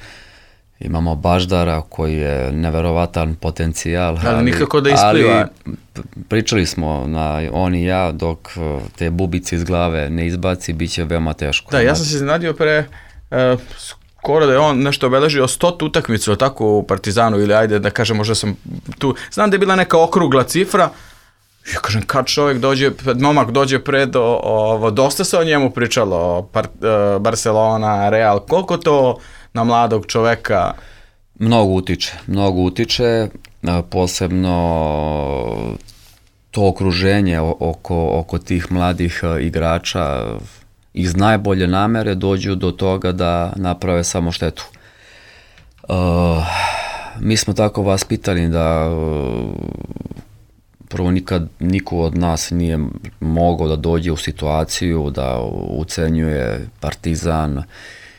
Imamo Baždara koji je neverovatan potencijal. Ali, ali nikako da ispliva. Ali pričali smo, na, on i ja, dok te bubice iz glave ne izbaci, bit će veoma teško. Da, ja sam se iznenadio pre uh, skoro da je on nešto obeležio stotu utakmicu, tako u Partizanu, ili ajde da kažem, možda sam tu, znam da je bila neka okrugla cifra, Ja kažem, kad čovjek dođe, momak dođe pred, ovo, dosta se o njemu pričalo, par, Barcelona, Real, koliko to na mladog čoveka? Mnogo utiče, mnogo utiče, posebno to okruženje oko, oko tih mladih igrača iz najbolje namere dođu do toga da naprave samo štetu. Uh, mi smo tako vaspitani da uh, prvo nikad niko od nas nije mogao da dođe u situaciju da ucenjuje Partizan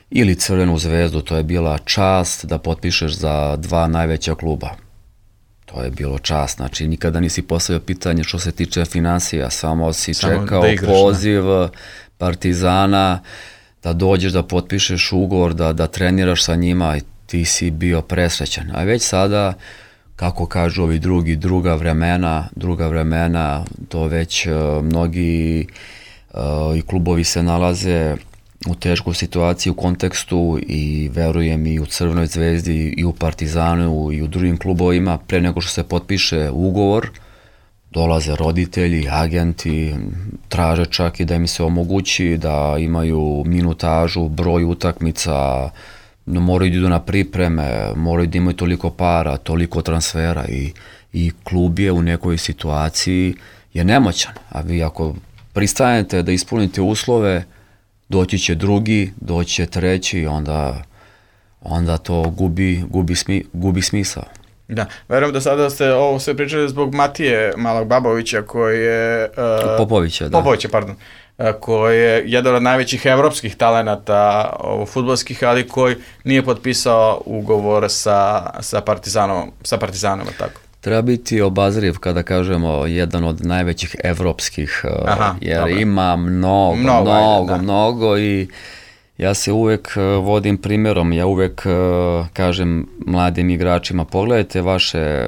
ili Crvenu zvezdu. To je bila čast da potpišeš za dva najveća kluba. To je bilo čast, znači nikada nisi postavio pitanje što se tiče finansija, samo si samo čekao da igraš, poziv ne? Partizana da dođeš da potpišeš ugovor, da, da treniraš sa njima i ti si bio presrećan. A već sada, kako kažu ovi drugi, druga vremena, druga vremena, to već uh, mnogi uh, i klubovi se nalaze u teškoj situaciji u kontekstu i verujem i u Crvenoj zvezdi i u Partizanu i u drugim klubovima, pre nego što se potpiše ugovor, dolaze roditelji, agenti, traže čak i da im se omogući da imaju minutažu, broj utakmica, no moraju da idu na pripreme, moraju da imaju toliko para, toliko transfera i, i klub je u nekoj situaciji je nemoćan, a vi ako pristanete da ispunite uslove, doći će drugi, doći će treći, onda, onda to gubi, gubi, smi, gubi smisao. Da, verujem da sada ste ovo sve pričali zbog Matije Malog Babovića koji je... Uh, Popovića, da. Popovića, pardon. Uh, koji je jedan od najvećih evropskih talenata uh, fudbalskih, ali koji nije potpisao ugovor sa, sa Partizanom, sa Partizanom, tako. Treba biti obazriv kada kažemo jedan od najvećih evropskih, Aha, jer dobro. Ima mnogo, mnogo, mnogo, ajde, mnogo i ja se uvek vodim primjerom, ja uvek kažem mladim igračima, pogledajte vaše,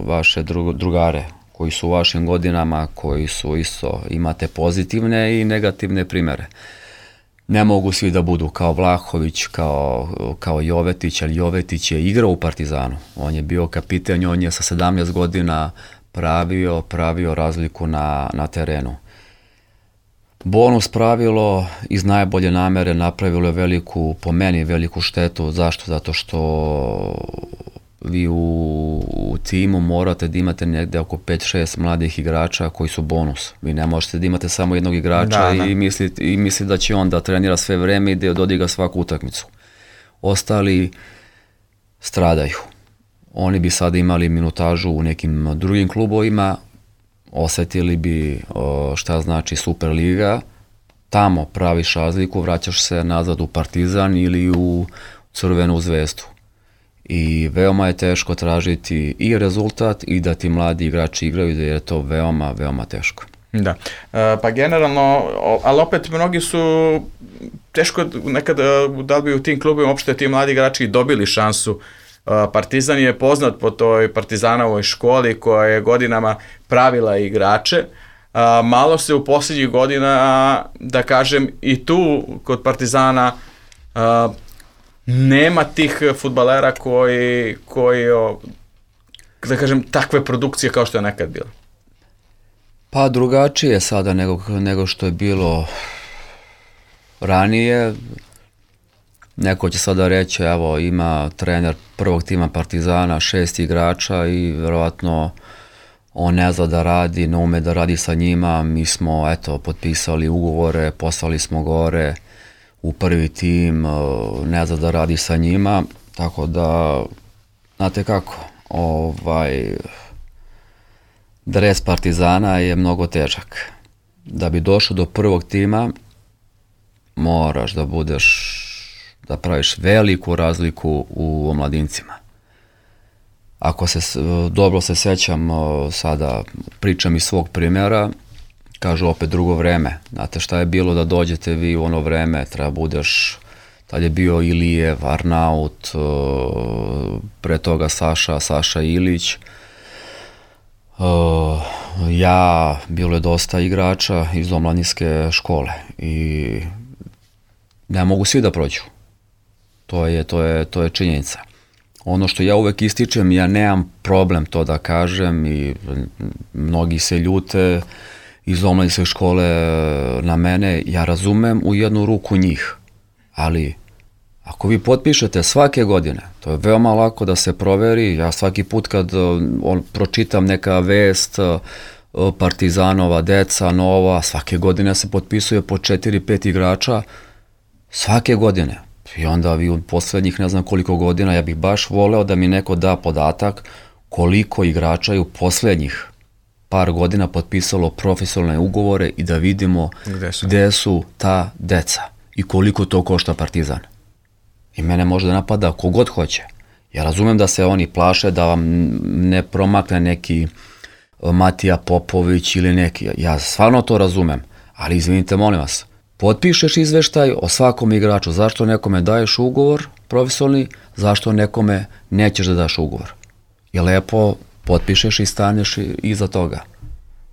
vaše drugare koji su u vašim godinama, koji su isto, imate pozitivne i negativne primjere. Ne mogu svi da budu kao Vlahović, kao, kao Jovetić, ali Jovetić je igrao u Partizanu. On je bio kapiten, on je sa sedamnaest godina pravio, pravio razliku na, na terenu. Bonus pravilo iz najbolje namere napravilo je veliku, po meni veliku štetu. Zašto? Zato što vi u, u timu morate da imate negde oko pet šest mladih igrača koji su bonus. Vi ne možete da imate samo jednog igrača da, da. i mislite i misli da će on da trenira sve vreme i da dodiga svaku utakmicu. Ostali stradaju. Oni bi sada imali minutažu u nekim drugim klubovima, osetili bi šta znači Superliga, tamo praviš razliku, vraćaš se nazad u Partizan ili u Crvenu zvezdu. I veoma je teško tražiti i rezultat i da ti mladi igrači igraju, jer je to veoma, veoma teško. Da, e, pa generalno, ali opet mnogi su teško nekad da bi u tim klubima uopšte ti mladi igrači dobili šansu. Partizan je poznat po toj Partizanovoj školi koja je godinama pravila igrače. Malo se u posljednjih godina, da kažem, i tu kod Partizana nema tih fudbalera koji, koji, da kažem, takve produkcije kao što je nekad bilo. Pa drugačije sada nego, nego što je bilo ranije. Neko će sada reći, evo, ima trener prvog tima Partizana, šest igrača i verovatno on ne zna da radi, ne ume da radi sa njima. Mi smo, eto, potpisali ugovore, poslali smo gore u prvi tim, ne zna da radi sa njima, tako da, znate kako, ovaj, dres Partizana je mnogo težak. Da bi došao do prvog tima, moraš da budeš da praviš veliku razliku u omladincima. Ako se, dobro se sećam, sada pričam iz svog primjera, kažu opet drugo vreme. Znate šta je bilo da dođete vi u ono vreme, treba budeš, tad je bio Ilijev, Arnaut, pre toga Saša, Saša Ilić, ja, bilo je dosta igrača iz omladinske škole i ne mogu svi da prođu. To je, to je, to je činjenica. Ono što ja uvek ističem, ja nemam problem to da kažem i mnogi se ljute iz omladinske škole na mene, ja razumem u jednu ruku njih, ali ako vi potpišete svake godine, to je veoma lako da se proveri, ja svaki put kad on, pročitam neka vest, Partizanova deca, nova, svake godine se potpisuje po četiri pet igrača, svake godine. I onda vi u poslednjih ne znam koliko godina, ja bih baš voleo da mi neko da podatak koliko igrača je u poslednjih par godina potpisalo profesionalne ugovore i da vidimo gde su, gde su ta deca i koliko to košta Partizan. I mene može da napada kogod hoće. Ja razumem da se oni plaše da vam ne promakne neki Matija Popović ili neki. Ja stvarno to razumem, ali izvinite, molim vas, potpišeš izveštaj o svakom igraču, zašto nekome daješ ugovor profesionalni, zašto nekome nećeš da daš ugovor. I lepo potpišeš i staneš iza toga.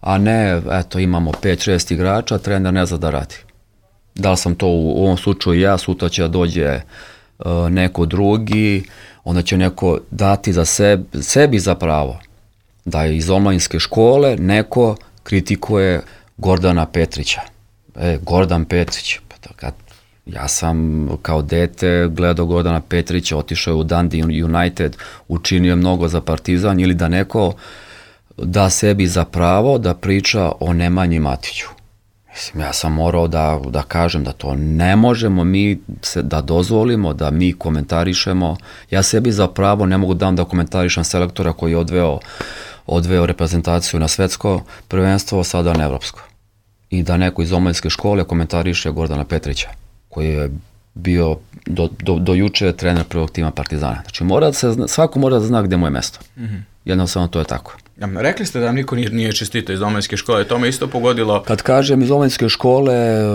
A ne, eto, imamo pet šest igrača, trener ne zna da radi. Da li sam to u ovom slučaju ja, sutra će da dođe uh, neko drugi, onda će neko dati za sebi, sebi za pravo da iz omladinske škole neko kritikuje Gordana Petrića. E, Gordan Petrić, kad ja sam kao dete gledao Gordana Petrića, otišao je u Dundee United, učinio mnogo za Partizan, ili da neko da sebi za pravo da priča o Nemanji Matiću. Mislim, ja sam morao da, da kažem da to ne možemo mi se, da dozvolimo, da mi komentarišemo. Ja sebi za pravo ne mogu dam da komentarišem selektora koji je odveo, odveo reprezentaciju na svetsko prvenstvo, sada na evropsko. I da neko iz omladinske škole komentariše Gordana Petrića, koji je bio do, do, do juče trener prvog tima Partizana. Znači, mora da se, svako mora da zna gde mu je mesto. Mm-hmm. Jednostavno to je tako. Ja, rekli ste da vam niko nije, nije čestito iz omladinske škole, to me isto pogodilo. Kad kažem iz omladinske škole,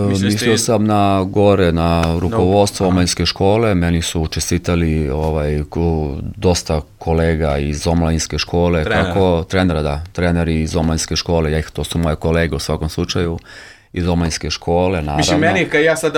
mislio, mislio sam na gore, na rukovodstvo no, omladinske škole, meni su čestitali ovaj, dosta kolega iz omladinske škole, trenera. kako trenera, da, treneri iz omladinske škole, ja ih, to su moje kolege u svakom slučaju, iz omladinske škole, naravno. Mislim, meni, kad ja sad,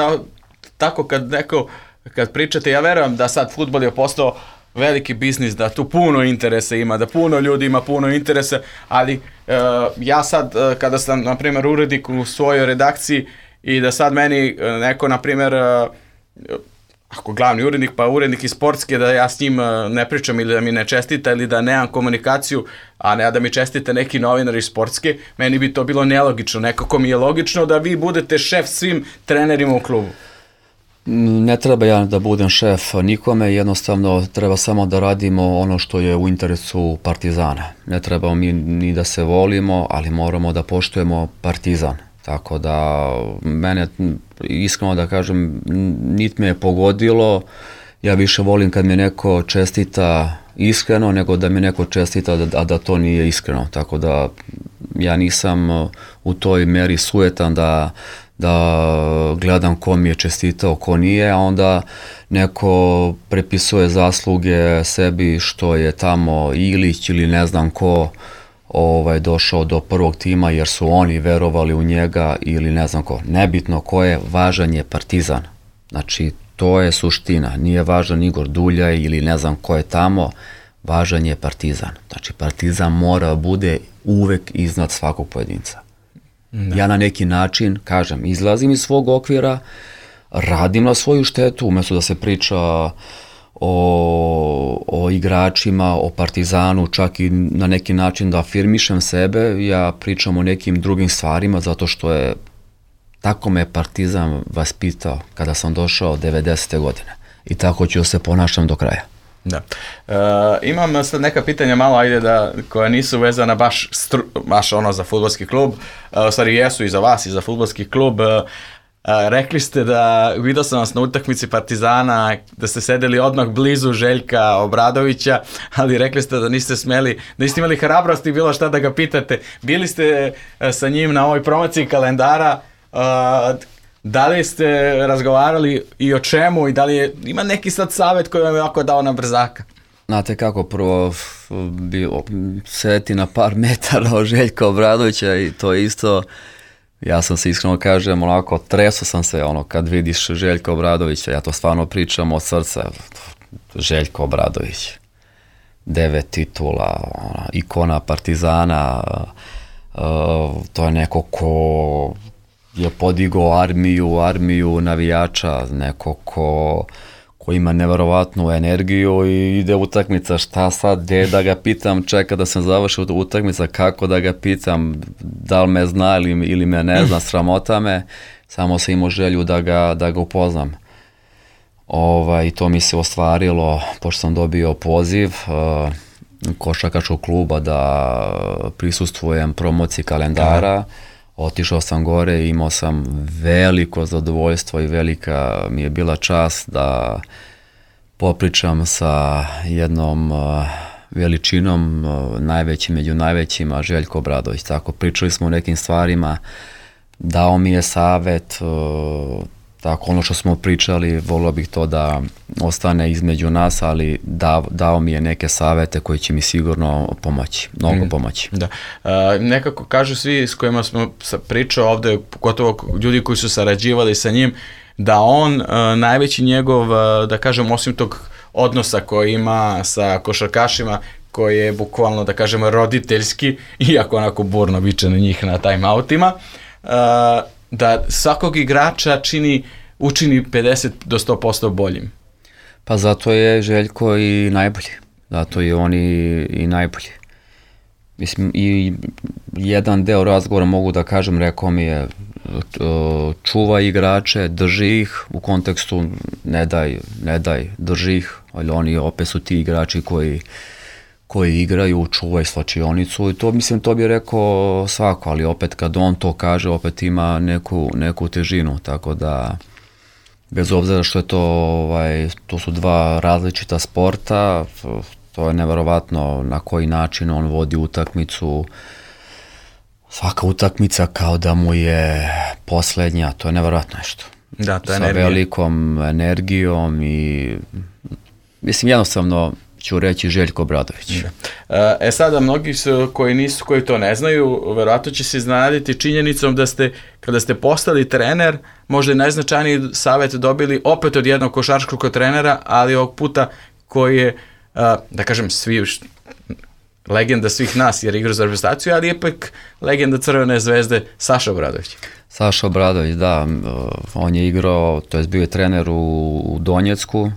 tako kad neko, kad pričate, ja verujem da sad fudbal je postao veliki biznis, da tu puno interesa ima, da puno ljudi ima puno interesa, ali uh, ja sad, uh, kada sam, na primjer, urednik u svojoj redakciji i da sad meni uh, neko, na primjer, uh, ako glavni urednik, pa urednik iz sportske, da ja s njim uh, ne pričam ili da mi ne čestita ili da nemam komunikaciju, a ne da mi čestite neki novinar iz sportske, meni bi to bilo nelogično. Nekako mi je logično da vi budete šef svim trenerima u klubu. Ne treba ja da budem šef nikome, jednostavno treba samo da radimo ono što je u interesu Partizana. Ne trebamo mi ni da se volimo, ali moramo da poštujemo Partizan. Tako da mene, iskreno da kažem, nit me je pogodilo, ja više volim kad mi neko čestita iskreno nego da mi neko čestita a da to nije iskreno. Tako da ja nisam u toj meri sujetan da da gledam ko mi je čestitao, ko nije, a onda neko prepisuje zasluge sebi što je tamo Ilić ili ne znam ko ovaj, došao do prvog tima jer su oni verovali u njega ili ne znam ko. Nebitno ko je, važan je Partizan. Znači, to je suština. Nije važan Igor Duljaj ili ne znam ko je tamo, važan je Partizan. Znači, Partizan mora bude uvek iznad svakog pojedinca. Da. Ja na neki način, kažem, izlazim iz svog okvira, radim na svoju štetu, umjesto da se priča o, o igračima, o Partizanu, čak i na neki način da afirmišem sebe, ja pričam o nekim drugim stvarima, zato što je, tako me Partizan vaspitao kada sam došao devedesete godine. I tako ću se ponašam do kraja. Da. E, imam sad neka pitanja malo, ajde da, koja nisu vezana baš, stru, baš ono za fudbalski klub, e, u stvari jesu i za vas i za fudbalski klub. E, rekli ste da, vidio sam vas na utakmici Partizana, da ste sedeli odmah blizu Željka Obradovića, ali rekli ste da niste smeli, da niste imali hrabrosti bilo šta da ga pitate. Bili ste sa njim na ovoj promociji kalendara, e, da li ste razgovarali i o čemu i da li je, ima neki sad savjet koji vam je ovako dao na brzaka? Znate kako, prvo bio, sedeti na par metara od Željka Obradovića i to je isto, ja sam se iskreno kažem, onako, treso sam se, ono, kad vidiš Željka Obradovića, ja to stvarno pričam od srca, Željko Obradović. devet titula, ona, ikona Partizana, uh, to je neko ko je podigao armiju, armiju navijača, neko ko, ko ima neverovatnu energiju i ide utakmica, šta sad, gde da ga pitam, čeka da sam završio utakmica, kako da ga pitam, da li me zna ili, ili me ne zna, sramota me, samo sam imao želju da ga, da ga upoznam. Ovaj, i to mi se ostvarilo, pošto sam dobio poziv uh, košarkaškog kluba da prisustvujem promociji kalendara. Otišao sam gore i imao sam veliko zadovoljstvo i velika mi je bila čast da popričam sa jednom uh, veličinom, uh, najvećim među najvećima, Željko Obradović. Tako, pričali smo o nekim stvarima, dao mi je savet, uh, tako ono što smo pričali, volio bih to da ostane između nas, ali da, dao mi je neke savete koji će mi sigurno pomoći, mnogo mm. pomoći. Da. Uh, nekako kažu svi s kojima smo pričao ovde, pogotovo ljudi koji su sarađivali sa njim, da on, uh, najveći njegov, uh, da kažem, osim tog odnosa koji ima sa košarkašima, koji je bukvalno, da kažemo, roditeljski, iako onako burno viče na njih na timeoutima, uh, da svakog igrača čini, učini pedeset do sto posto boljim. Pa zato je Željko i najbolji. Zato je on i, i najbolji. Mislim, i jedan deo razgovora mogu da kažem, rekao mi je čuvaj igrače, drži ih, u kontekstu ne daj, ne daj, drži ih, ali oni opet su ti igrači koji koji igraju, čuvaj slačionicu i to, mislim, to bi rekao svako, ali opet kad on to kaže, opet ima neku, neku težinu, tako da bez obzira što je to, ovaj, to su dva različita sporta, to je neverovatno na koji način on vodi utakmicu, svaka utakmica kao da mu je poslednja, to je neverovatno nešto. Da, to je sa energija. Velikom energijom i mislim, jednostavno ću reći Željko Obradović. E sada, mnogi su, koji nisu, koji to ne znaju, verovatno će se iznenaditi činjenicom da ste, kada ste postali trener, možda i najznačajniji savjet dobili opet od jednog košarkaškog trenera, ali ovog puta koji je, da kažem, svi, legenda svih nas, jer igra za reprezentaciju, ali ipak legenda Crvene zvezde, Saša Obradović. Saša Obradović, da, on je igrao, to je bio je trener u, u Donjecku.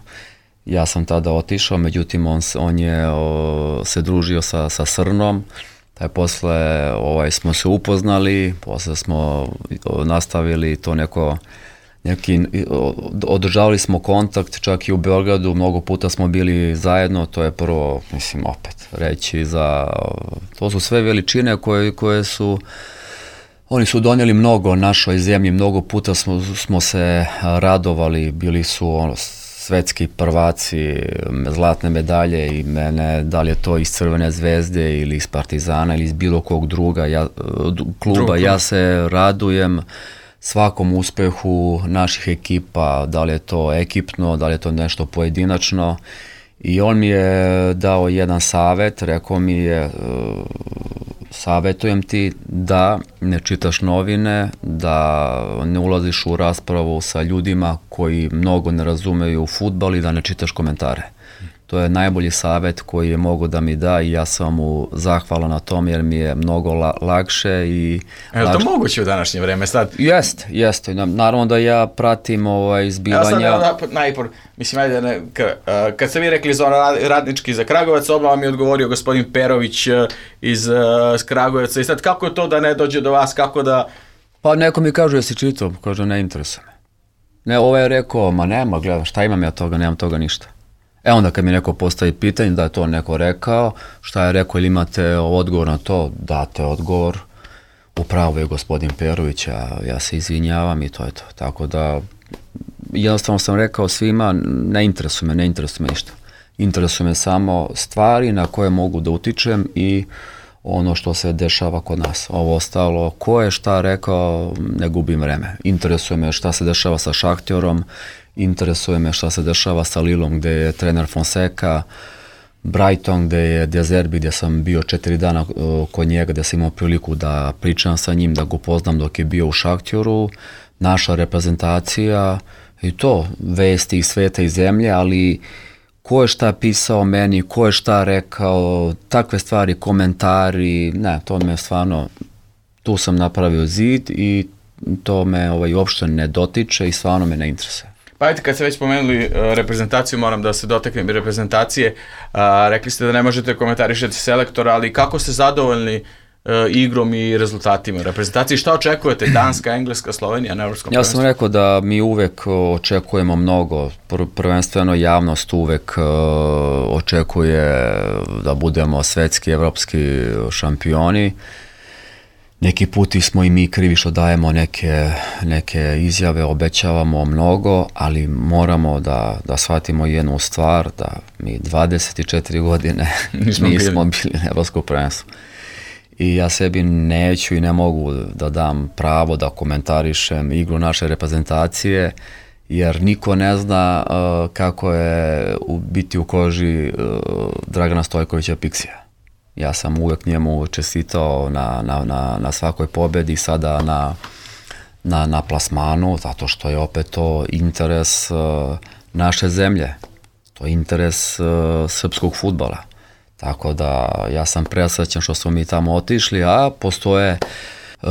Ja sam tada otišao, međutim on, on je o, se družio sa, sa Srnom, taj posle ovaj, smo se upoznali, posle smo o, nastavili to neko, neki, o, održavali smo kontakt, čak i u Beogradu, mnogo puta smo bili zajedno, to je prvo, mislim, opet reći za, to su sve veličine koje, koje su, oni su donijeli mnogo našoj zemlji, mnogo puta smo, smo se radovali, bili su ono, svetski prvaci, zlatne medalje i mene, da li je to iz Crvene zvezde ili iz Partizana ili iz bilo kog druga ja, kluba, Drugo. ja se radujem svakom uspehu naših ekipa, da li je to ekipno, da li je to nešto pojedinačno. I on mi je dao jedan savet, rekao mi je, savetujem ti da ne čitaš novine, da ne ulaziš u raspravu sa ljudima koji mnogo ne razumeju fudbal i da ne čitaš komentare. To je najbolji savet koji je mogo da mi da i ja sam mu zahvalan na tom jer mi je mnogo la, lakše i... Je li to moguće u današnje vreme sad? Jest, jeste. Naravno da ja pratim ovaj zbivanja... Ja sad da, najpor, mislim, ajde, ne, ka, uh, kad ste vi rekli za radnički za Kragujevac, odmah mi je odgovorio gospodin Perović uh, iz uh, Kragujevca i sad kako je to da ne dođe do vas, kako da... Pa neko mi kaže, jesi čitao? Kaže, ne interesuje me. Ne, ovaj je rekao, ma nema, gledam, šta imam ja toga, nemam toga ništa. E onda kad mi neko postavi pitanje da je to neko rekao, šta je rekao ili imate odgovor na to, date odgovor, upravo je gospodin Perović, a ja se izvinjavam i to je to. Tako da jednostavno sam rekao svima, ne interesuje me, ne interesuje me ništa. Interesuje me samo stvari na koje mogu da utičem i ono što se dešava kod nas. Ovo ostalo, ko je šta rekao, ne gubim vreme. Interesuje me šta se dešava sa Šahtjorom, interesuje me šta se dešava sa Lilom gde je trener Fonseca, Brighton gde je De Zerbi, gde sam bio četiri dana uh, kod njega, gde sam imao priliku da pričam sa njim, da ga upoznam dok je bio u Šahtjoru, naša reprezentacija i to, vesti iz sveta i zemlje, ali ko je šta pisao meni, ko je šta rekao, takve stvari, komentari, ne, to me stvarno, tu sam napravio zid i to me ovaj, uopšte ne dotiče i stvarno me ne interesuje. Pa ajte, kad ste već spomenuli uh, reprezentaciju, moram da se dotaknem i reprezentacije. Uh, rekli ste da ne možete komentarišati selektora, ali kako ste zadovoljni uh, igrom i rezultatima reprezentacije? Šta očekujete? Danska, Engleska, Slovenija na evropskom prvenstvu? Ja sam rekao da mi uvek očekujemo mnogo. Pr- prvenstveno javnost uvek uh, očekuje da budemo svetski, evropski šampioni. Neki puti smo i mi krivi što dajemo neke, neke izjave, obećavamo mnogo, ali moramo da, da shvatimo jednu stvar, da mi dvadeset četiri godine nismo, nismo bili. bili na evropskom prvenstvu. I ja sebi neću i ne mogu da dam pravo da komentarišem igru naše reprezentacije, jer niko ne zna uh, kako je u, biti u koži uh, Dragana Stojkovića Piksija. Ja sam uvek njemu čestitao na, na, na, na svakoj pobedi, sada na, na, na plasmanu, zato što je opet to interes uh, naše zemlje, to je interes uh, srpskog fudbala. Tako da ja sam presrećan što smo mi tamo otišli, a postoje uh,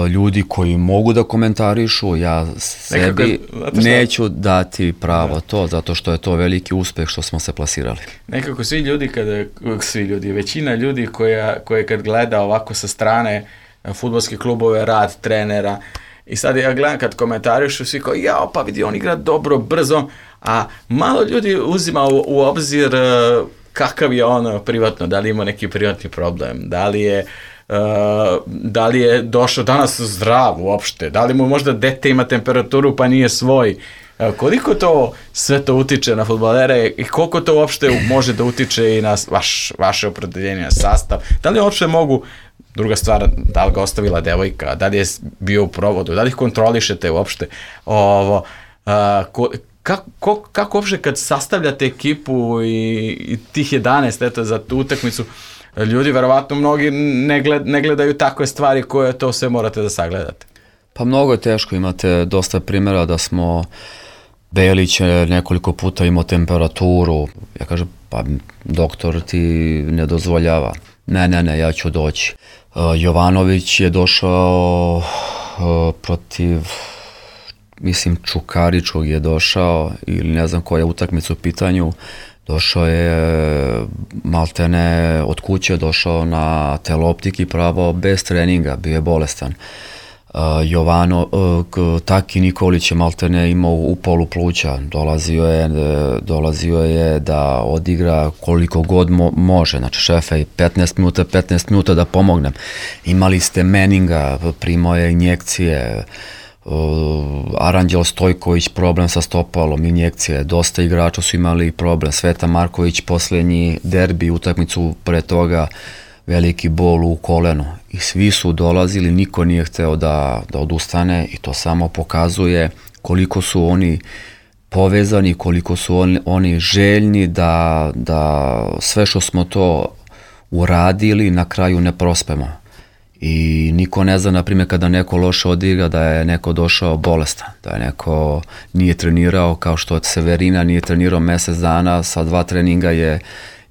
ljudi koji mogu da komentarišu, ja sebi nekako, neću dati pravo da. to, zato što je to veliki uspeh što smo se plasirali. Nekako svi ljudi, kada, svi ljudi, većina ljudi koja, koja kad gleda ovako sa strane fudbalske klubove, rad trenera, i sad ja gledam kad komentarišu, svi kao, jao, pa vidi, on igra dobro, brzo, a malo ljudi uzima u, u obzir uh, kakav je on privatno, da li ima neki privatni problem, da li je Uh, da li je došao danas zdrav uopšte, da li mu možda dete ima temperaturu pa nije svoj, uh, koliko to sve to utiče na fudbalere i koliko to uopšte može da utiče i na vaš, vaše opredeljenje, na sastav, da li uopšte mogu, druga stvar, da li ga ostavila devojka, da li je bio u provodu, da li ih kontrolišete uopšte, ovo, uh, ko, kako, kako uopšte kad sastavljate ekipu i, i tih jedanaest eto, za tu utakmicu, ljudi, verovatno, mnogi ne, gled, ne gledaju takve stvari koje to sve morate da sagledate. Pa mnogo je teško, imate dosta primjera da smo Belić je nekoliko puta imao temperaturu, ja kažem, pa doktor ti ne dozvoljava. Ne, ne, ne, ja ću doći. Uh, Jovanović je došao uh, protiv, mislim, Čukaričkog je došao, ili ne znam koja je utakmica u pitanju, došao je maltene od kuće, došao na teleoptiki pravo bez treninga, bio je bolestan. Uh, Jovano, uh, Taki Nikolić je maltene imao upalu pluća, dolazio je, dolazio je da odigra koliko god mo- može, znači šefe, petnaest minuta, petnaest minuta da pomognem. Imali ste Meninga, primao je injekcije, Uh, Aranđel Stojković problem sa stopalom, injekcije, dosta igrača su imali problem, Sveta Marković posljednji derbi, utakmicu pre toga veliki bol u kolenu i svi su dolazili, niko nije hteo da, da odustane i to samo pokazuje koliko su oni povezani, koliko su oni, oni željni da, da sve što smo to uradili na kraju ne prospemo. I niko ne zna, na primjer, kada neko loše odigra, da je neko došao bolestan, da je neko nije trenirao, kao što Severina nije trenirao mjesec dana, sa dva treninga je,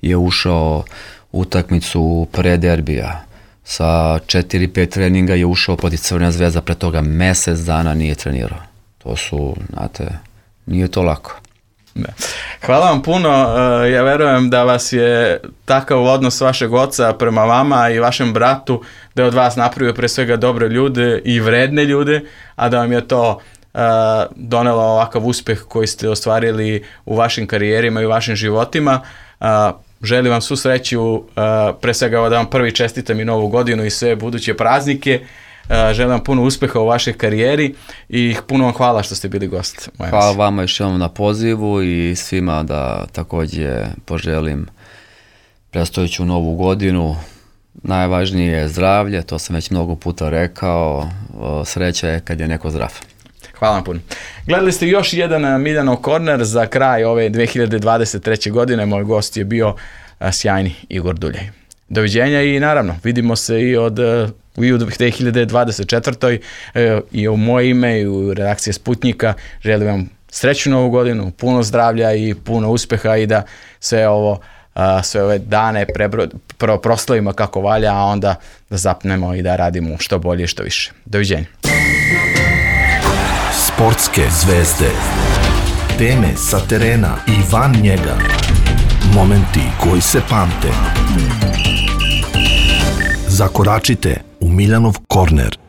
je ušao u utakmicu pre derbija. Sa četiri pet treninga je ušao protiv Crvena Zvezda, pre toga mjesec dana nije trenirao. To su, znate, nije to lako. Ne. Hvala vam puno, ja verujem da vas je takav odnos vašeg oca prema vama i vašem bratu, da je od vas napravio pre svega dobre ljude i vredne ljude, a da vam je to uh, donelo ovakav uspeh koji ste ostvarili u vašim karijerima i u vašim životima. Uh, želim vam svu sreću, uh, pre svega da vam prvi čestitam i novu godinu i sve buduće praznike. Uh, želim vam puno uspeha u vašoj karijeri i puno vam hvala što ste bili gost. Hvala vama još jednom na pozivu i svima da također poželim predstojeću novu godinu. Najvažnije je zdravlje, to sam već mnogo puta rekao, sreća je kad je neko zdrav. Hvala vam puno. Gledali ste još jedan Miljanov korner za kraj ove dve hiljade dvadeset treće godine. Moj gost je bio sjajni Igor Duljaj. Doviđenja i naravno vidimo se i od i u dve hiljade dvadeset četvrtoj. i u moje ime i u redakcije Sputnjika želim vam srećnu novu godinu, puno zdravlja i puno uspjeha i da sve ovo, sve ove dane prebro, pro, proslavimo kako valja, a onda da zapnemo i da radimo što bolje i što više. Doviđenja. Sportske zvezde. Teme sa terena i van njega. Momenti koji se pamte. Zakoračite u Miljanov korner.